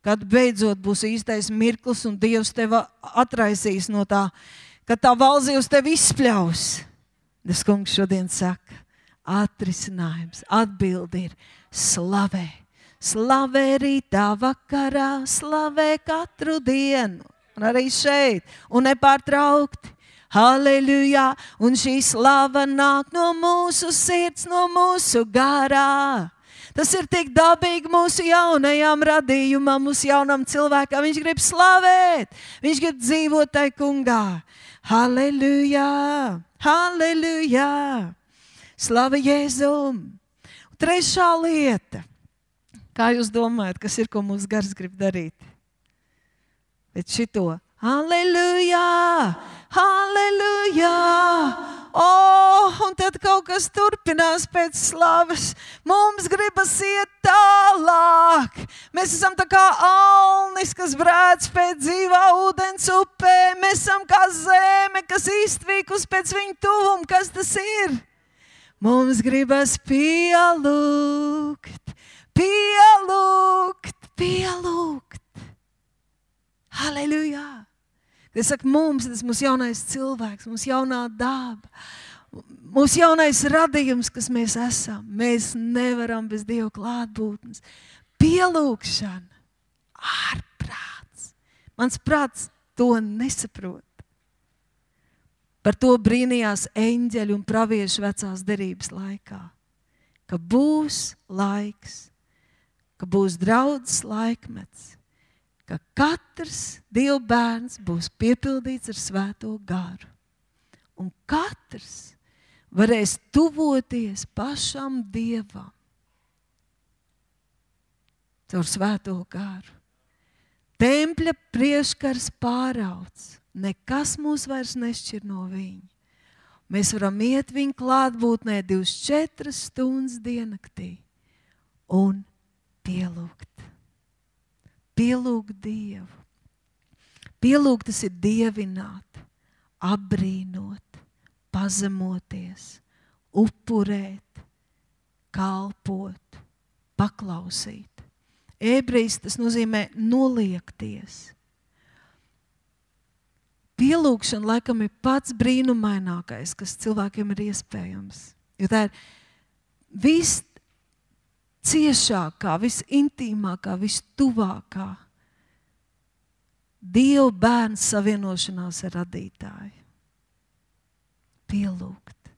kad beidzot būs īstais mirklis un Dievs tevi atraisīs no tā, kad tā valzījus tevi izspļaus. Tas kungs šodien saka, atrisinājums, atbildi ir slavē. Slavē rītā vakarā, slavē katru dienu. Un arī šeit, un nepārtraukti. Halleluja! Un šī slava nāk no mūsu sirds, no mūsu garā. Tas ir tik dabīgi mūsu jaunajām radījumam, mūsu jaunam cilvēkam. Viņš grib slavēt, viņš grib dzīvot tai kungā. Halleluja! Halleluja! Slava Jēzum! Trešā lieta. Kā jūs domājat, kas ir, ko mūsu gars grib darīt? Bet šito. Halleluja! Halleluja! Oh, un tad kaut kas turpinās pēc slavas. Mums gribas iet tālāk. Mēs esam tā kā alnis, kas brēc pēc dzīvā ūdens upē. Mēs esam kā zeme, kas iztvīkus pēc viņa tuvuma. Kas tas ir? Mums gribas pielūgt, pielūgt, pielūgt. Halleluja! Es saku, mums, tas mūsu jaunais cilvēks, mūsu jaunā daba, mūsu jaunais radījums, kas mēs esam. Mēs nevaram bez Dieva klātbūtnes. Pielūgšana, ārprāts. Mans prāts to nesaprot. Par to brīnījās eņģeļi un pravieši vecās derības laikā. Ka būs laiks, ka būs draudzes laikmets, ka katrs Dieva bērns būs piepildīts ar svēto garu. Un katrs varēs tuvoties pašam Dievam caur svēto garu. Tempļa priekškars pārauts. Nekas mūs vairs nešķir no viņa. Mēs varam iet viņa klātbūtnē divdesmit četras stundas diennaktī un pielūgt. Pielūgt Dievu. Pielūgt tas ir dievināt, apbrīnot, pazemoties, upurēt, kalpot, paklausīt. Ebrejs tas nozīmē noliekties. Pielūgšana laikam ir pats brīnumainākais, kas cilvēkiem ir iespējams. Jo tā ir viss ciešākā, visintīmākā, vistuvākā Dieva bērns savienošanās ar radītāju. Pielūgt.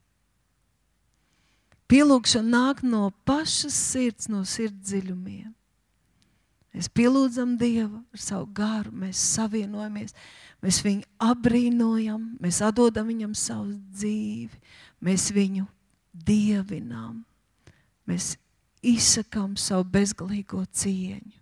Pielūgšana nāk no pašas sirds, no sirds dziļumiem. Mēs pielūdzam Dievu ar savu garu, mēs savienojamies, mēs viņu apbrīnojam, mēs atdodam viņam savu dzīvi, mēs viņu dievinām, mēs izsakām savu bezgalīgo cieņu.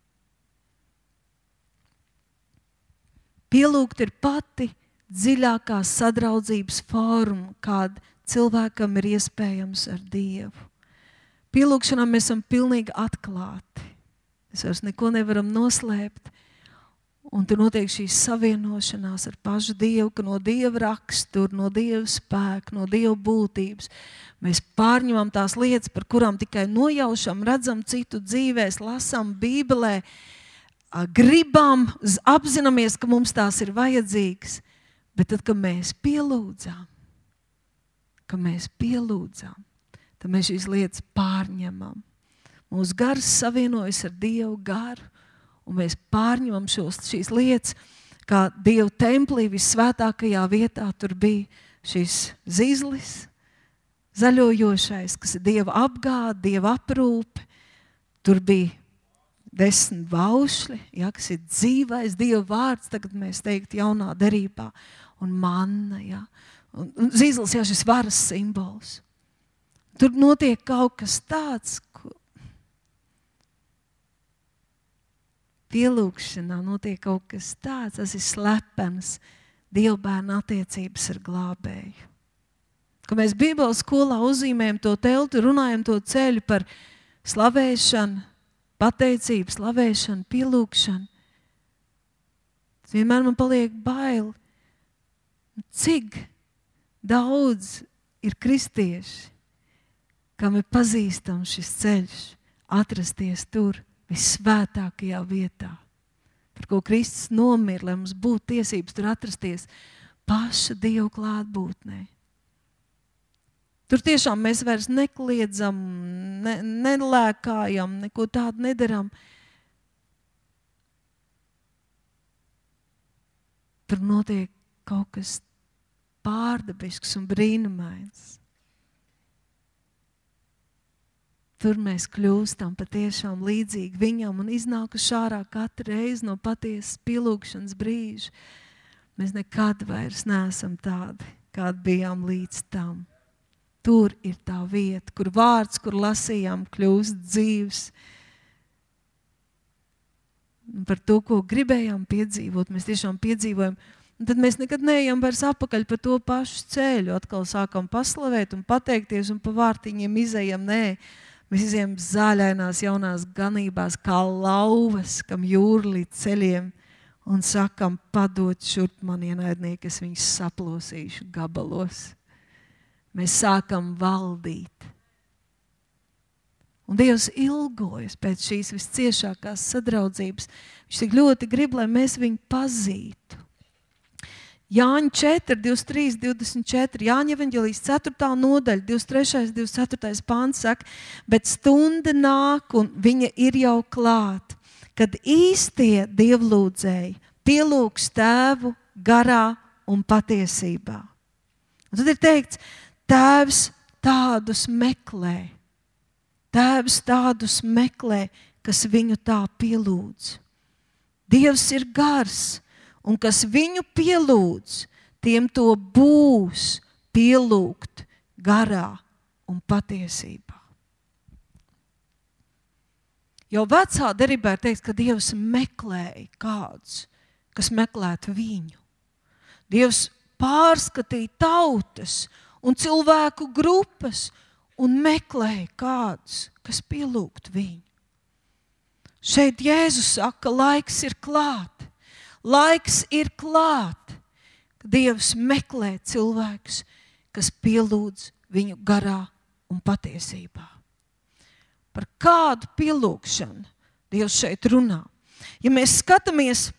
Pielūgt ir pati dziļākā sadraudzības forma, kāda cilvēkam ir iespējams ar Dievu. Pielūgšanā mēs esam pilnīgi atklāti. Mēs vairs neko nevaram noslēpt. Un tur notiek šī savienošanās ar pašu Dievu, ka no Dieva rakstura, no Dieva spēka, no Dieva būtības mēs pārņemam tās lietas, par kurām tikai nojaušam, redzam citu dzīvēs, lasam Bībelē, gribam, apzināmies, ka mums tās ir vajadzīgas. Bet tad, kad mēs pielūdzam, ka mēs pielūdzam, tad mēs šīs lietas pārņemam. Mūsu gars savienojas ar Dievu garu, un mēs pārņemam šos, šīs lietas, kā Dieva templī vissvētākajā vietā. Tur bija šis zizlis, zaļojošais, kas ir Dieva apgāde, Dieva aprūpe. Tur bija desmit baušļi, ja, kas ir dzīvais Dieva vārds, tagad mēs teiktu jaunā derībā, un manna, ja. Un, un zizlis, ja, šis varas simbols. Tur notiek kaut kas tāds, ko pielūgšanā notiek kaut kas tāds, tas ir slepens Dieva bērna attiecības ar glābēju. Kad mēs Bībeles skolā uzzīmējam to telti, runājam to ceļu par slavēšanu, pateicību, slavēšanu, pielūgšanu, tas vienmēr man paliek baili. Cik daudz ir kristieši, kam ir pazīstams šis ceļš, atrasties tur, vissvētākajā vietā, par ko Kristus nomira, lai mums būtu tiesības tur atrasties paša Dieva klātbūtnē. Tur tiešām mēs vairs nekliedzam, ne, nelēkājam, neko tādu nedaram. Tur notiek kaut kas pārdabisks un brīnumains. Tur mēs kļūstam patiešām līdzīgi viņam un iznākuši ārā katru reizi no patiesas pielūgšanas brīža. Mēs nekad vairs neesam tādi, kādi bijām līdz tam. Tur ir tā vieta, kur vārds, kur lasījām, kļūst dzīvs. Un par to, ko gribējām piedzīvot, mēs tiešām piedzīvojam. Un tad mēs nekad neejam vairs apakaļ pa to pašu ceļu. Atkal sākam paslavēt un pateikties un pa vārtiņiem izejam. Nē, mēs izejam zaļainās jaunās ganībās kā lauvas, kam jūra līdz ceļiem un sakam, padod šurp man ienaidnieki, es viņus saplosīšu gabalos. Mēs sākam valdīt. Un Dievs ilgojas pēc šīs visciešākās sadraudzības. Viņš tik ļoti grib, lai mēs viņu pazītu. Jāņa četri, divdesmit trīs, divdesmit četri, Jāņa evaņģelijas ceturtā nodaļa, divdesmit trešais, divdesmit ceturtais pāns saka, bet stunda nāk un viņa ir jau klāt, kad īstie dievlūdzēji pielūgs tēvu garā un patiesībā. Un tad ir teikts, tēvs tādus meklē, tēvs tādus meklē, kas viņu tā pielūdz. Dievs ir gars, un kas viņu pielūdz, tiem to būs pielūgt garā un patiesībā. Jau vecā derībā ir teikts, ka Dievs meklēja kādus, kas meklētu viņu. Dievs pārskatīja tautas un cilvēku grupas un meklēja kādus, kas pielūgt viņu. Šeit Jēzus saka, laiks ir klāt. Laiks ir klāt, ka Dievs meklē cilvēkus, kas pielūdz viņu garā un patiesībā. Par kādu pielūgšanu Dievs šeit runā? Ja mēs skatāmies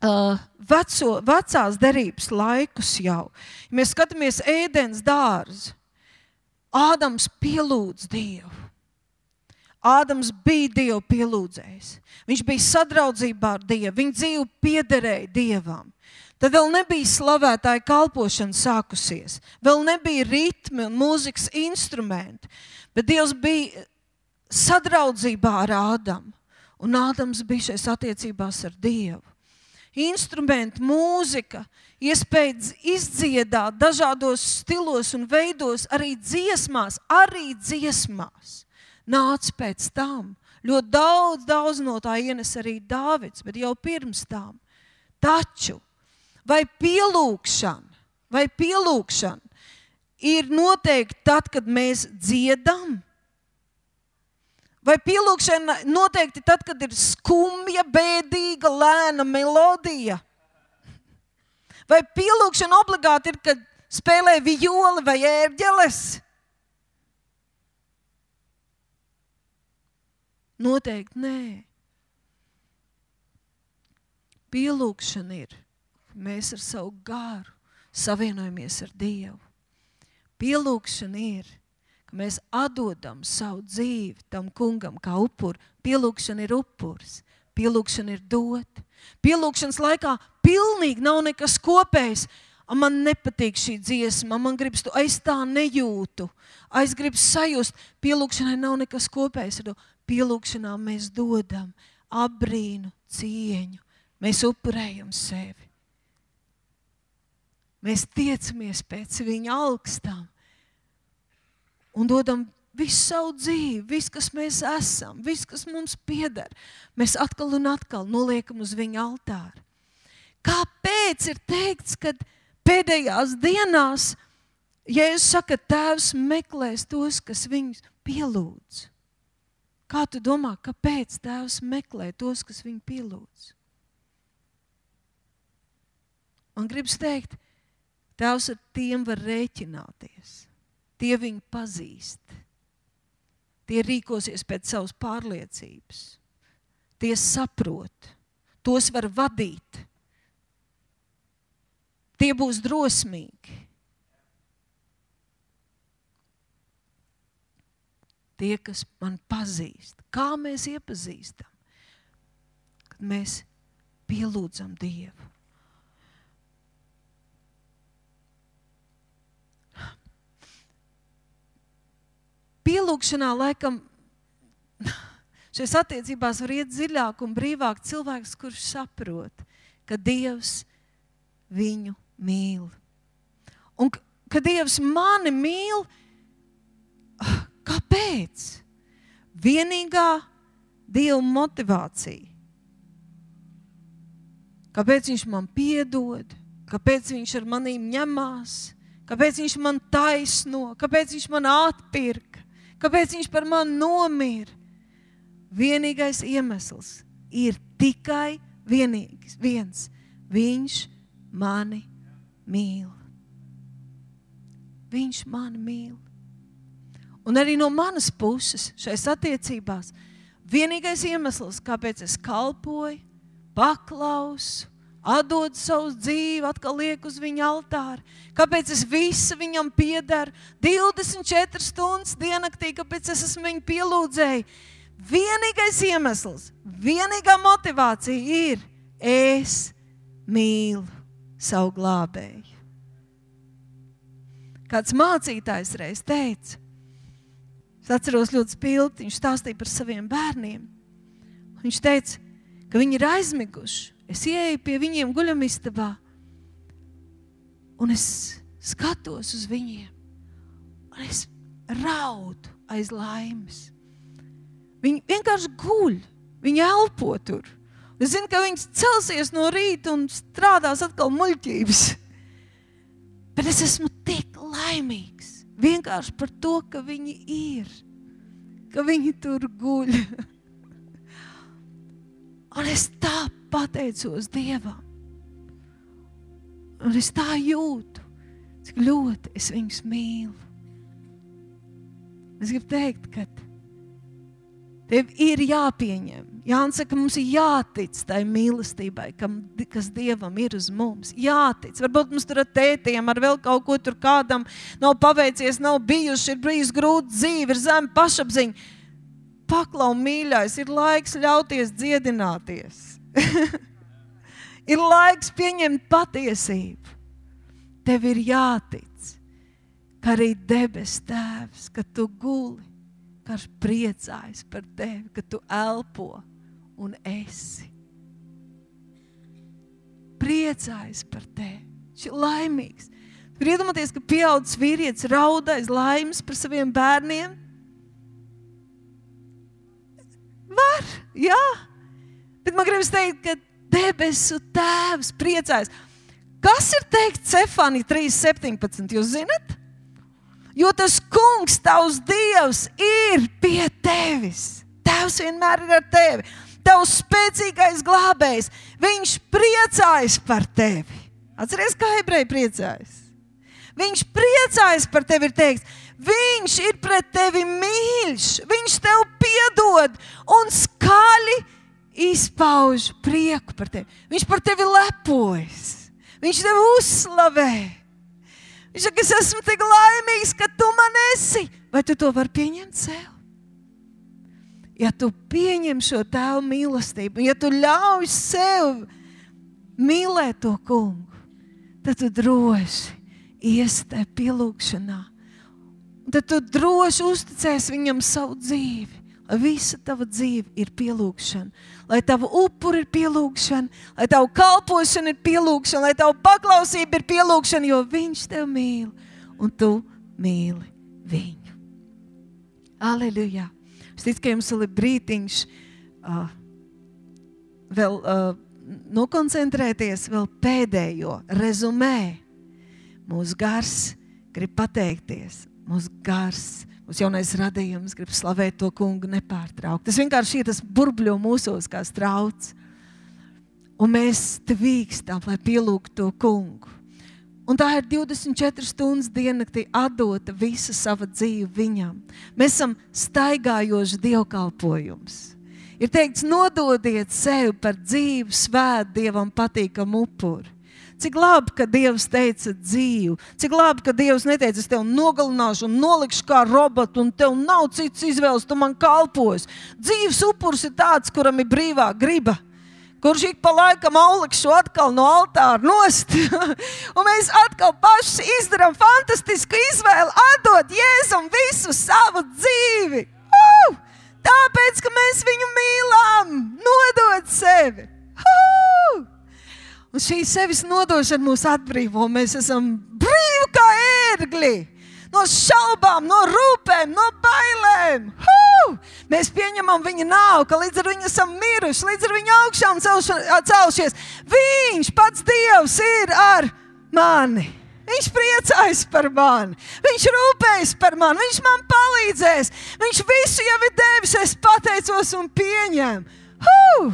uh, veco, vecās derības laikus jau, ja mēs skatāmies ēdens dārzu, Ādams pielūdz Dievu. Ādams bija Dievu pielūdzējs. Viņš bija sadraudzībā ar Dievu. Viņa dzīve piederēja Dievam. Tad vēl nebija slavētāja kalpošana sākusies. Vēl nebija ritmi un mūzikas instrumenti. Bet Dievs bija sadraudzībā ar Ādamu. Un Ādams bija šais attiecībās ar Dievu. Instrumenti, mūzika, iespēja izdziedāt dažādos stilos un veidos, arī dziesmās, arī dziesmās. Nāca pēc tam. Ļoti daudz, daudz no tā ienes arī Dāvids, bet jau pirms tam. Taču, vai pielūgšana, vai pielūgšana ir noteikti tad, kad mēs dziedam? Vai pielūgšana noteikti tad, kad ir skumja, bēdīga, lēna melodija? Vai pielūgšana obligāti ir, kad spēlē vijoli vai ērģeles? Noteikti nē. Pielūgšana ir, mēs ar savu garu savienojamies ar Dievu. Pielūgšana ir, ka mēs atdodam savu dzīvi tam kungam kā upuru. Pielūgšana ir upurs, pielūgšana ir dot. Pielūgšanas laikā pilnīgi nav nekas kopējs. Man nepatīk šī dziesma, man gribas to, es tā nejūtu, es gribas sajust. Pielūgšanai nav nekas kopējs ar to. Pielūgšanā mēs dodam apbrīnu, cieņu. Mēs upurējam sevi. Mēs tiecamies pēc viņa augstām un dodam visu savu dzīvi, visu, kas mēs esam, visu, kas mums pieder. Mēs atkal un atkal noliekam uz viņa altāru. Kāpēc ir teikts, ka pēdējās dienās Jēzus saka, tēvs meklēs tos, kas viņus pielūdz? Kā tu domā, kāpēc tēvs meklē tos, kas viņu pielūdz? Man gribas teikt, tēvs ar tiem var rēķināties. Tie viņu pazīst. Tie rīkosies pēc savas pārliecības. Tie saprot tos var vadīt. Tie būs drosmīgi. Tie, kas man pazīst. Kā mēs iepazīstam? Kad mēs pielūdzam Dievu. Pielūgšanā laikam šajās attiecībās var iet dziļāk un brīvāk cilvēks, kurš saprot, ka Dievs viņu mīl. Un ka Dievs mani mīl, kāpēc? Vienīgā Dieva motivācija. Kāpēc viņš man piedod? Kāpēc viņš ar manīm ņemās? Kāpēc viņš man taisno? Kāpēc viņš man atpirka? Kāpēc viņš par mani nomira? Vienīgais iemesls ir tikai vienīgs, viens. Viņš mani mīl. Viņš mani mīl. Un arī no manas puses šais attiecībās vienīgais iemesls, kāpēc es kalpoju, paklausu, atdod savu dzīvi, atkal liek uz viņa altāri. Kāpēc es visu viņam piederu divdesmit četras stundas diennaktī, kāpēc es esmu viņu pielūdzēju. Vienīgais iemesls, vienīgā motivācija ir, es mīlu savu glābēju. Kāds mācītājs reiz teica, es atceros ļoti spilgti, viņš stāstīja par saviem bērniem. Viņš teica, ka viņi ir aizmiguši. Es ieeju pie viņiem guļamistabā un es skatos uz viņiem un es raudu aiz laimes. Viņi vienkārši guļ, viņi elpo tur. Es zinu, ka viņi celsies no rīta un strādās atkal muļķības. Bet es esmu tik laimīgs vienkārši par to, ka viņi ir, ka viņi tur guļ. Un es tā pateicos Dievam. Un es tā jūtu, cik ļoti es viņus mīlu. Es gribu teikt, ka tev ir jāpieņem. Jānis saka, mums ir jātic tai mīlestībai, kas Dievam ir uz mums. Jātic. Varbūt mums tur ar tētiem, ar vēl kaut ko tur kādam nav paveicies, nav bijuši, ir bijis grūti dzīve, ir zem pašapziņa. Paklau, mīļais, ir laiks ļauties dziedināties. Ir laiks pieņemt patiesību. Tev ir jātic, ka arī debes tēvs, ka tu guli, ka viņš priecājas par tevi, ka tu elpo un esi. Priecājas par tevi. Viņš ir laimīgs. Tur iedomāties, ka pieaudzis vīrietis raudais laimes par saviem bērniem. Var, jā. Bet man gribas teikt, ka debesu tēvs priecājas. Kas ir teikt Cefānija trīs septiņpadsmit, jūs zinat? Jo tas kungs, tavs Dievs, ir pie tevis. Tēvs vienmēr ir ar tevi. Tavs spēcīgais glābējs, viņš priecājas par tevi. Atceries, kā ebreji priecājas? Viņš priecājas par tevi, ir teikts. Viņš ir pret tevi mīļš, viņš tev piedod un skaļi izpauž prieku par tevi. Viņš par tevi lepojas, viņš tevi uzslavē. Viņš saka, es esmu tik laimīgs, ka tu man esi. Vai tu to vari pieņemt sev? Ja tu pieņem šo tēvu mīlestību, ja tu ļauj sev mīlēt to kungu, tad tu droši iesi tajā pielūgšanā. Un tad tu droši uzticēsi viņam savu dzīvi. Lai visa tava dzīve ir pielūgšana. Lai tava upuri ir pielūgšana. Lai tava kalpošana ir pielūgšana. Lai tava paklausība ir pielūgšana, jo viņš tev mīl. Un tu mīli viņu. Aleluja. Es ticu, ka jums vēl ir brītiņš uh, vēl uh, nokoncentrēties vēl pēdējo rezumē. Mūsu gars grib pateikties. Mūsu gars, mūsu jaunais radījums grib slavēt to kungu nepārtraukt. Tas vienkārši ir tas burbļo mūsos kā strauts. Un mēs te vīkstam, lai pielūgtu to kungu. Un tā ir divdesmit četras stundas diennaktī atdota visa sava dzīve viņam. Mēs esam staigājoši dievkalpojums. Ir teikts, nododiet sevi par dzīvu, svētu, Dievam patīkamu upuri. Cik labi, ka Dievs teica dzīvu. Cik labi, ka Dievs neteica, es tev nogalināšu un nolikšu kā robotu, un tev nav cits izvēles, tu man kalpos. Dzīves upurs ir tāds, kuram ir brīvā griba, kurš ik pa laikam aulikšu atkal no altāra nost. Un mēs atkal paši izdarām fantastisku izvēli, atdot Jēzum visu savu dzīvi. Uh! Tāpēc, ka mēs viņu mīlam, nodot sevi. Uh! Un šī sevis nodošana mūs atbrīvo. Mēs esam brīvi kā ērgļi. No šaubām, no rūpēm, no bailēm. Huu! Mēs pieņemam viņa nāvu, ka līdz ar viņu esam miruši, līdz ar viņu augšām celšies. Viņš pats Dievs ir ar mani. Viņš priecājas par mani. Viņš rūpējas par mani. Viņš man palīdzēs. Viņš visu jau ir devis. Es pateicos un pieņēmu. Huu!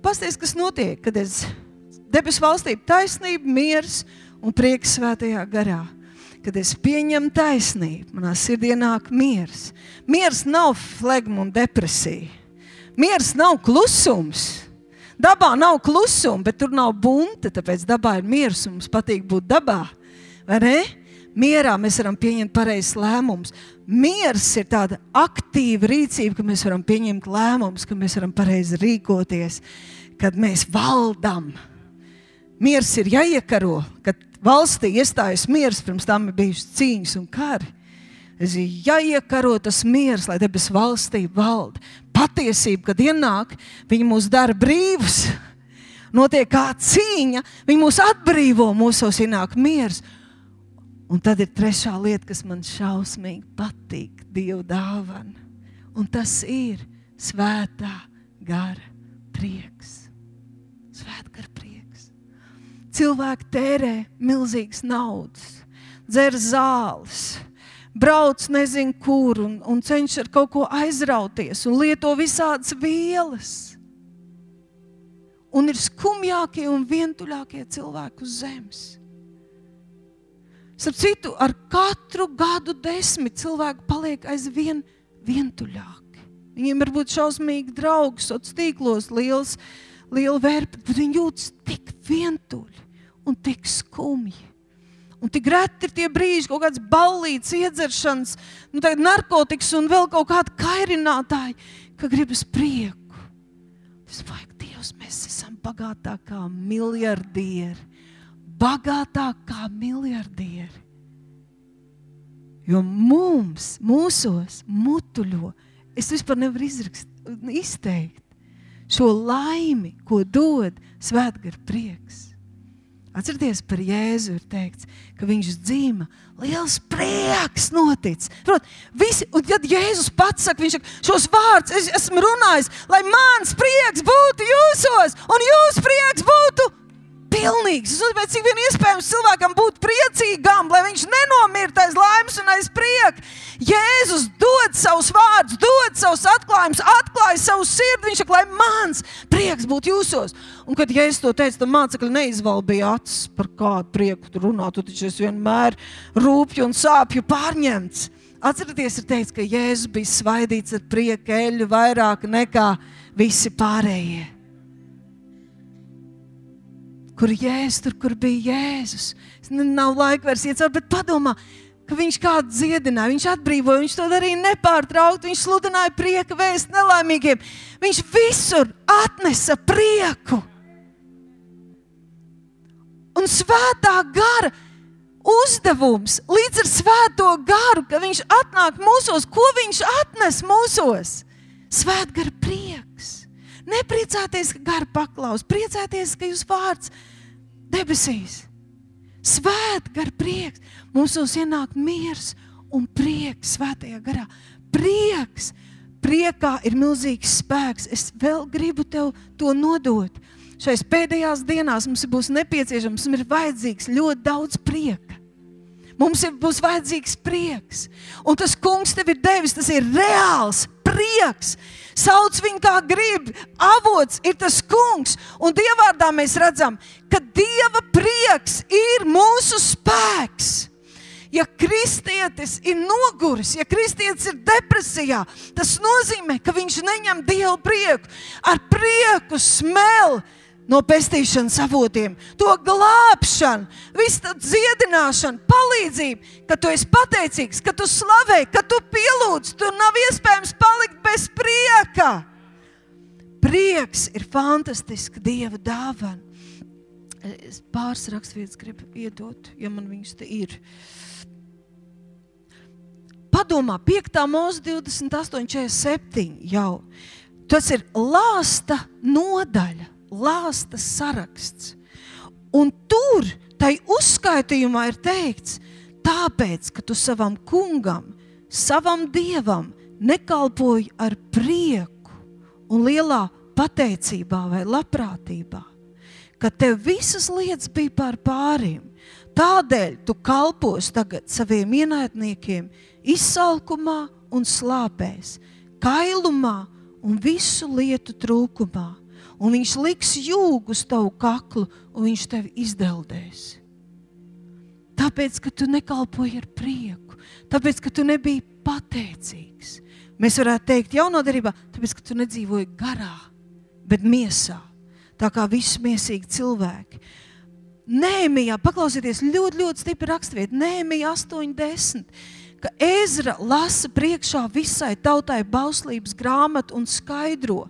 Pasties, kas notiek, kad es debesu valstību taisnība, miers un prieks svētajā garā. Kad es pieņemu taisnību, manā sirdī nāk miers. Miers nav flegma un depresija. Miers nav klusums. Dabā nav klusuma, bet tur nav bunta, tāpēc dabā ir miers un mums patīk būt dabā. Vai ne? Mierā mēs varam pieņemt pareizes lēmumus. Miers ir tāda aktīva rīcība, ka mēs varam pieņemt lēmumus, ka mēs varam pareizi rīkoties, kad mēs valdam. Miers ir jāiekaro, kad valstī iestājas miers, pirms tam ir bijušas cīņas un kari. Es ir jāiekaro tas miers, lai debes valstī valda. Patiesība, kad ienāk, viņi mūs dara brīvus. Notiek kā cīņa, viņi mūs atbrīvo, mūsos ienāk miers. Un tad ir trešā lieta, kas man šausmīgi patīk, Dieva dāvana. Un tas ir svētā gara prieks. Svētā gara prieks. Cilvēki tērē milzīgas naudas, dzer zāles, brauc nezinu kur un, un cenšas ar kaut ko aizrauties un lieto visādas vielas. Un ir skumjākie un vientuļākie cilvēki uz zemes. Starp citu, ar katru gadu desmit cilvēki paliek aizvien vientuļāki. Viņiem var būt šausmīgi draugi, sociālos tīklos, liels, liela vērpa, bet viņi jūtas tik vientuļi un tik skumji. Un tik reti ir tie brīži, kaut kāds ballīts, iedzeršanas, nu tagad narkotikas un vēl kaut kādi kairinātāji, ka gribas prieku. Tas vajag Dievs, mēs esam bagātāki kā miljardieri. Bagātāk kā miljardieri. Jo mums, mūsos, mutuļo, es vispār nevaru izrakst, izteikt šo laimi, ko dod svētgara prieks. Atcerieties, par Jēzu ir teikts, ka viņš dzīma, liels prieks notic. Prot, visi, un tad Jēzus pats saka, viņš saka, šos vārdus es esmu runājis, lai mans prieks būtu jūsos, un jūs prieks būtu pilnīgs. Es uzmanīju, cik vien iespējams cilvēkam būt priecīgam, lai viņš nenomirtu aiz laimes un aiz prieka. Jēzus dod savus vārdus, dod savus atklājumus, atklāja savu sirdi. Viņš saka, lai mans prieks būtu jūsos. Un kad Jēzus to teica, tad mācekļi neizvalbīja acis, par kādu prieku tu runā. Tu taču esi vienmēr rūpju un sāpju pārņemts. Atcerieties, ir teikts, ka Jēzus bija svaidīts ar prieku eļļu vairāk nekā visi pārējie. Kur Jēzus, tur, kur bija Jēzus. Nav laika vairs iet caur, bet padomā, ka viņš kādu dziedināja, viņš atbrīvoja, viņš to darīja nepārtraukti, viņš sludināja prieka vēstu nelaimīgiem. Viņš visur atnesa prieku. Un svētā gara uzdevums līdz ar svēto garu, ka viņš atnāk mūsos, ko viņš atnes mūsos? Svētgara prieks. Nepriecāties, ka gara paklaus, priecāties, ka jūs vārds debesīs. Svētgara prieks. Mūsos ienāk miers un prieks svētajā garā. Prieks. Priekā ir milzīgs spēks. Es vēl gribu tev to nodot. Šais pēdējās dienās mums būs nepieciešams, mums ir vajadzīgs ļoti daudz prieka. Mums ir, būs vajadzīgs prieks. Un tas kungs tev ir devis, tas ir reāls prieks. Sauc viņu kā grib. Avots ir tas kungs. Un Dievvārdā mēs redzam, ka Dieva prieks ir mūsu spēks. ja kristietis ir noguris, ja kristietis ir depresijā, tas nozīmē, ka viņš neņem Dievu prieku. Ar prieku smēl no pestīšanas avotiem, to glābšanu, visu tā dziedināšanu, palīdzību, ka tu esi pateicīgs, ka tu slavē, ka tu pielūdz, tu nav iespējams palikt bez prieka. Prieks ir fantastiska Dieva dāvana. Es pāris rakstvietas gribu iedot, ja man viņas te ir. Padomā, piektā mūzika divdesmit astoņi četrdesmit septiņi jau. Tas ir lāsta nodaļa, lāsta saraksts. Un tur, tai uzskaitījumā ir teikts, tāpēc, ka tu savam kungam, savam Dievam nekalpoji ar prieku un lielā pateicībā vai labprātībā, ka tev visas lietas bija pār pāriem. Tādēļ tu kalpos tagad saviem ienaidniekiem izsalkumā un slāpēs, kailumā un visu lietu trūkumā. Un viņš liks jūgu uz tavu kaklu un viņš tevi izdeldēs. Tāpēc, ka tu nekalpoji ar prieku, tāpēc, ka tu nebija pateicīgs. Mēs varētu teikt jaunā derībā, tāpēc, ka tu nedzīvoji garā, bet miesā. Tā kā visi miesīgi cilvēki. Nehemijā, paklausieties, ļoti, ļoti stipri rakstvieta, Nehemijā astoņi desmit, ka Ezra lasa priekšā visai tautai bauslības grāmatu un skaidro.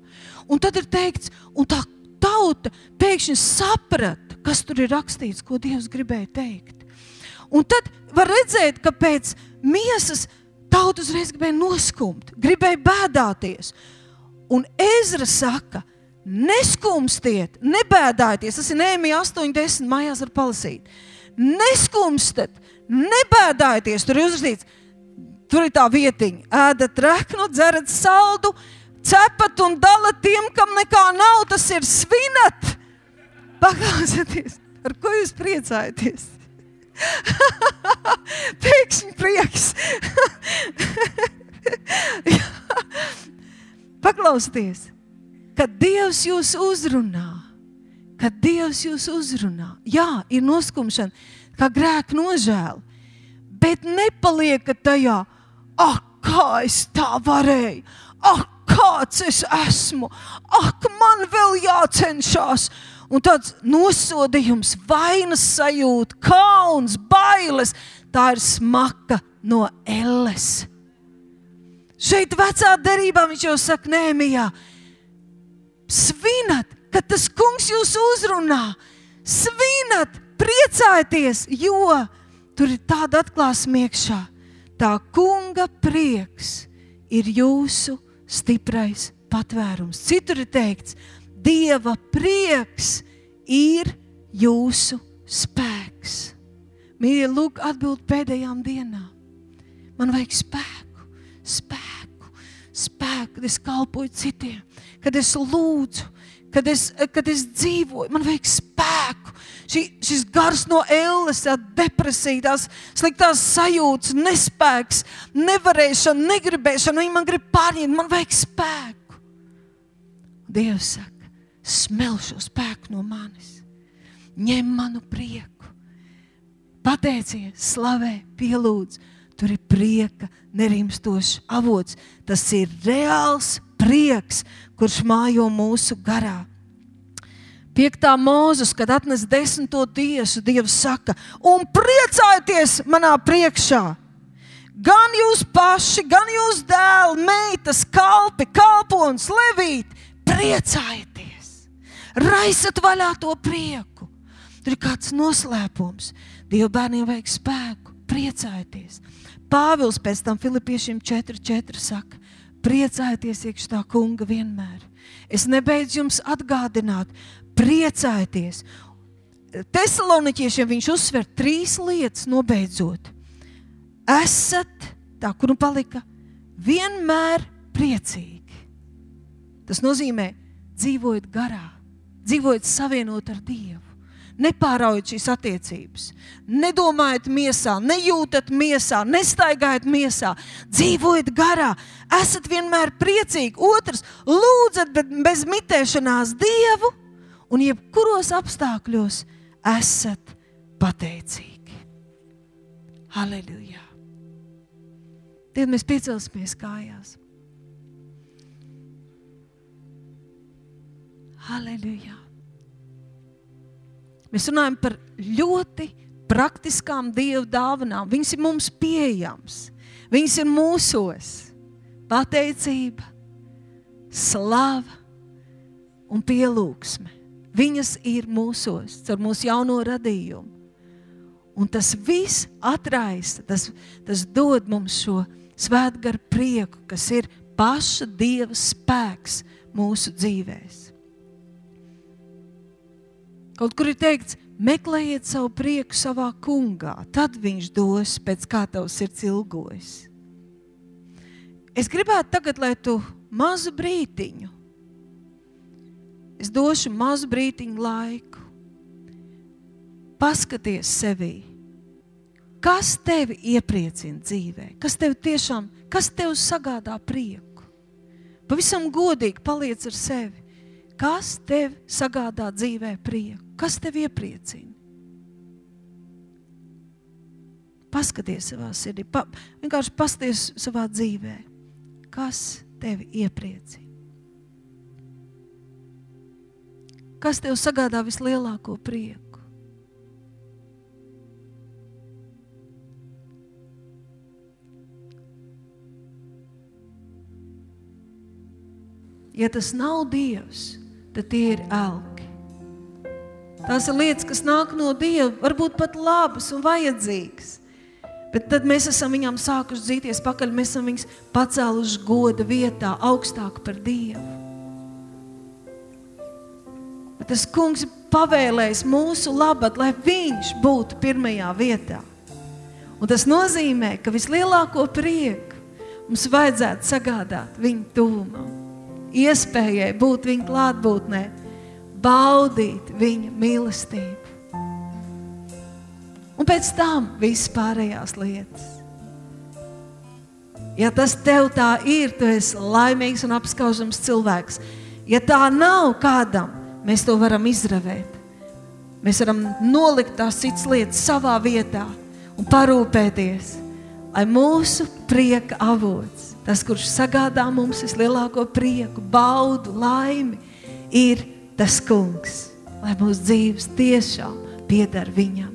Un tad ir teikts, un tā tauta pēkšņi saprata, kas tur ir rakstīts, ko Dievs gribēja teikt. Un tad var redzēt, ka pēc miesas tauta uzreiz gribēja noskumt, gribēja bēdāties. Un Ezra saka, neskumstiet, nebēdājieties, tas ir Nehemijā astoņi desmit, mājās var palasīt. Neskumstat, nebēdājieties, tur ir uzrakstīts, tur ir tā vietiņa, ēdat reknu, dzerat saldu, cepat un dalat tiem, kam nekā nav, tas ir svinat. Paklausieties, ar ko jūs priecājaties? Pēkšņi prieks. Paklausieties. Kad Dievs jūs uzrunā, kad Dievs jūs uzrunā, jā, ir noskumšana, kā grēka nožēla, bet nepaliekat tajā, ak, kā es tā varēju, ak, kāds es esmu, ak, man vēl jācenšās, un tāds nosodījums, vainas sajūta, kauns, bailes, tā ir smaka no elles. Šeit vecā derībā viņš jau saka Nehemijā, svinat, kad tas kungs jūs uzrunā, svinat, priecājieties, jo tur ir tāda atklāsme iekšā. Tā kunga prieks ir jūsu stiprais patvērums. Citur ir teikts, Dieva prieks ir jūsu spēks. Mīļie, lūk, atbild pēdējām dienām. Man vajag spēku, spēku, spēku, kad es kalpoju citiem, kad es lūdzu, kad es, kad es dzīvoju, man vajag spēku. Šī, šis gars no elles, tā depresija, tās sliktās sajūtas, nespēks, nevarēšana, negribēšana, viņi man grib pārņemt, man vajag spēku. Dievs saka, smel šo spēku no manis, ņem manu prieku, pateicies, slavē, pielūdz, tur ir prieka nerimstošs avots, tas ir reāls prieks, kurš mājo mūsu garā. Piektā mūzes, kad atnes desmito tiesu, Dievs saka, un priecājieties manā priekšā. Gan jūs paši, gan jūs dēli, meitas, kalpi, kalpons, levīti, priecājieties. Raisat vaļā to prieku. Tur ir kāds noslēpums. Dieva bērniem vajag spēku, priecājieties. Pāvils pēc tam Filipiešiem četri četri saka, priecājieties iekš tā kunga vienmēr. Es nebeidzu jums atgādināt, priecājieties. Tesaloniķiešiem viņš uzsver trīs lietas nobeidzot. Esat, tā kur nu palika, vienmēr priecīgi. Tas nozīmē dzīvojot garā, dzīvojot savienot ar Dievu. Nepāraujot šīs attiecības, nedomājat miesā, nejūtat miesā, nestaigājat miesā, dzīvojat garā, esat vienmēr priecīgi. Otrs, lūdzat bez mitēšanās Dievu un jebkuros apstākļos esat pateicīgi. Halleluja. Tad mēs piecelsimies kājās. Halleluja. Mēs runājam par ļoti praktiskām Dieva dāvanām. Viņas ir mums pieejams. Viņas ir mūsos. Pateicība, slava un pielūgsme. Viņas ir mūsos, caur mūsu jauno radījumu. Un tas viss atraista, tas, tas dod mums šo svētgaru prieku, kas ir paša Dieva spēks mūsu dzīvēs. Kaut kur ir teikts, meklējiet savu prieku savā kungā, tad viņš dos pēc kā tavs sirds ilgojas. Es gribētu tagad, lai tu mazu brītiņu, es došu mazu brītiņu laiku, paskaties sevī, kas tevi iepriecina dzīvē, kas tevi tiešām, kas tev sagādā prieku. Pavisam godīgi paliec ar sevi. Kas tev sagādā dzīvē prieku? Kas tev iepriecina? Paskaties savā sirdī, pa, vienkārši paskaties savā dzīvē. Kas tevi iepriecina? Kas tev sagādā vislielāko prieku? Ja tas nav Dievs, tad tie ir elki. Tās ir lietas, kas nāk no Dieva, varbūt pat labas un vajadzīgas. Bet tad mēs esam viņām sākuši dzīties pakaļ, mēs esam viņus pacēluši goda vietā, augstāk par Dievu. Bet tas kungs ir pavēlējis mūsu labad, lai viņš būtu pirmajā vietā. Un tas nozīmē, ka vislielāko prieku mums vajadzētu sagādāt viņu tuvumā. Iespējai būt viņa klātbūtnē, baudīt viņa mīlestību. Un pēc tam viss pārējās lietas. Ja tas tev tā ir, tu esi laimīgs un apskaužams cilvēks. Ja tā nav kādam, mēs to varam izravēt. Mēs varam nolikt tās citas lietas savā vietā un parūpēties, lai mūsu prieka avots, tas, kurš sagādā mums vislielāko prieku, baudu, laimi, ir tas kungs, lai mūsu dzīves tiešām pieder viņam.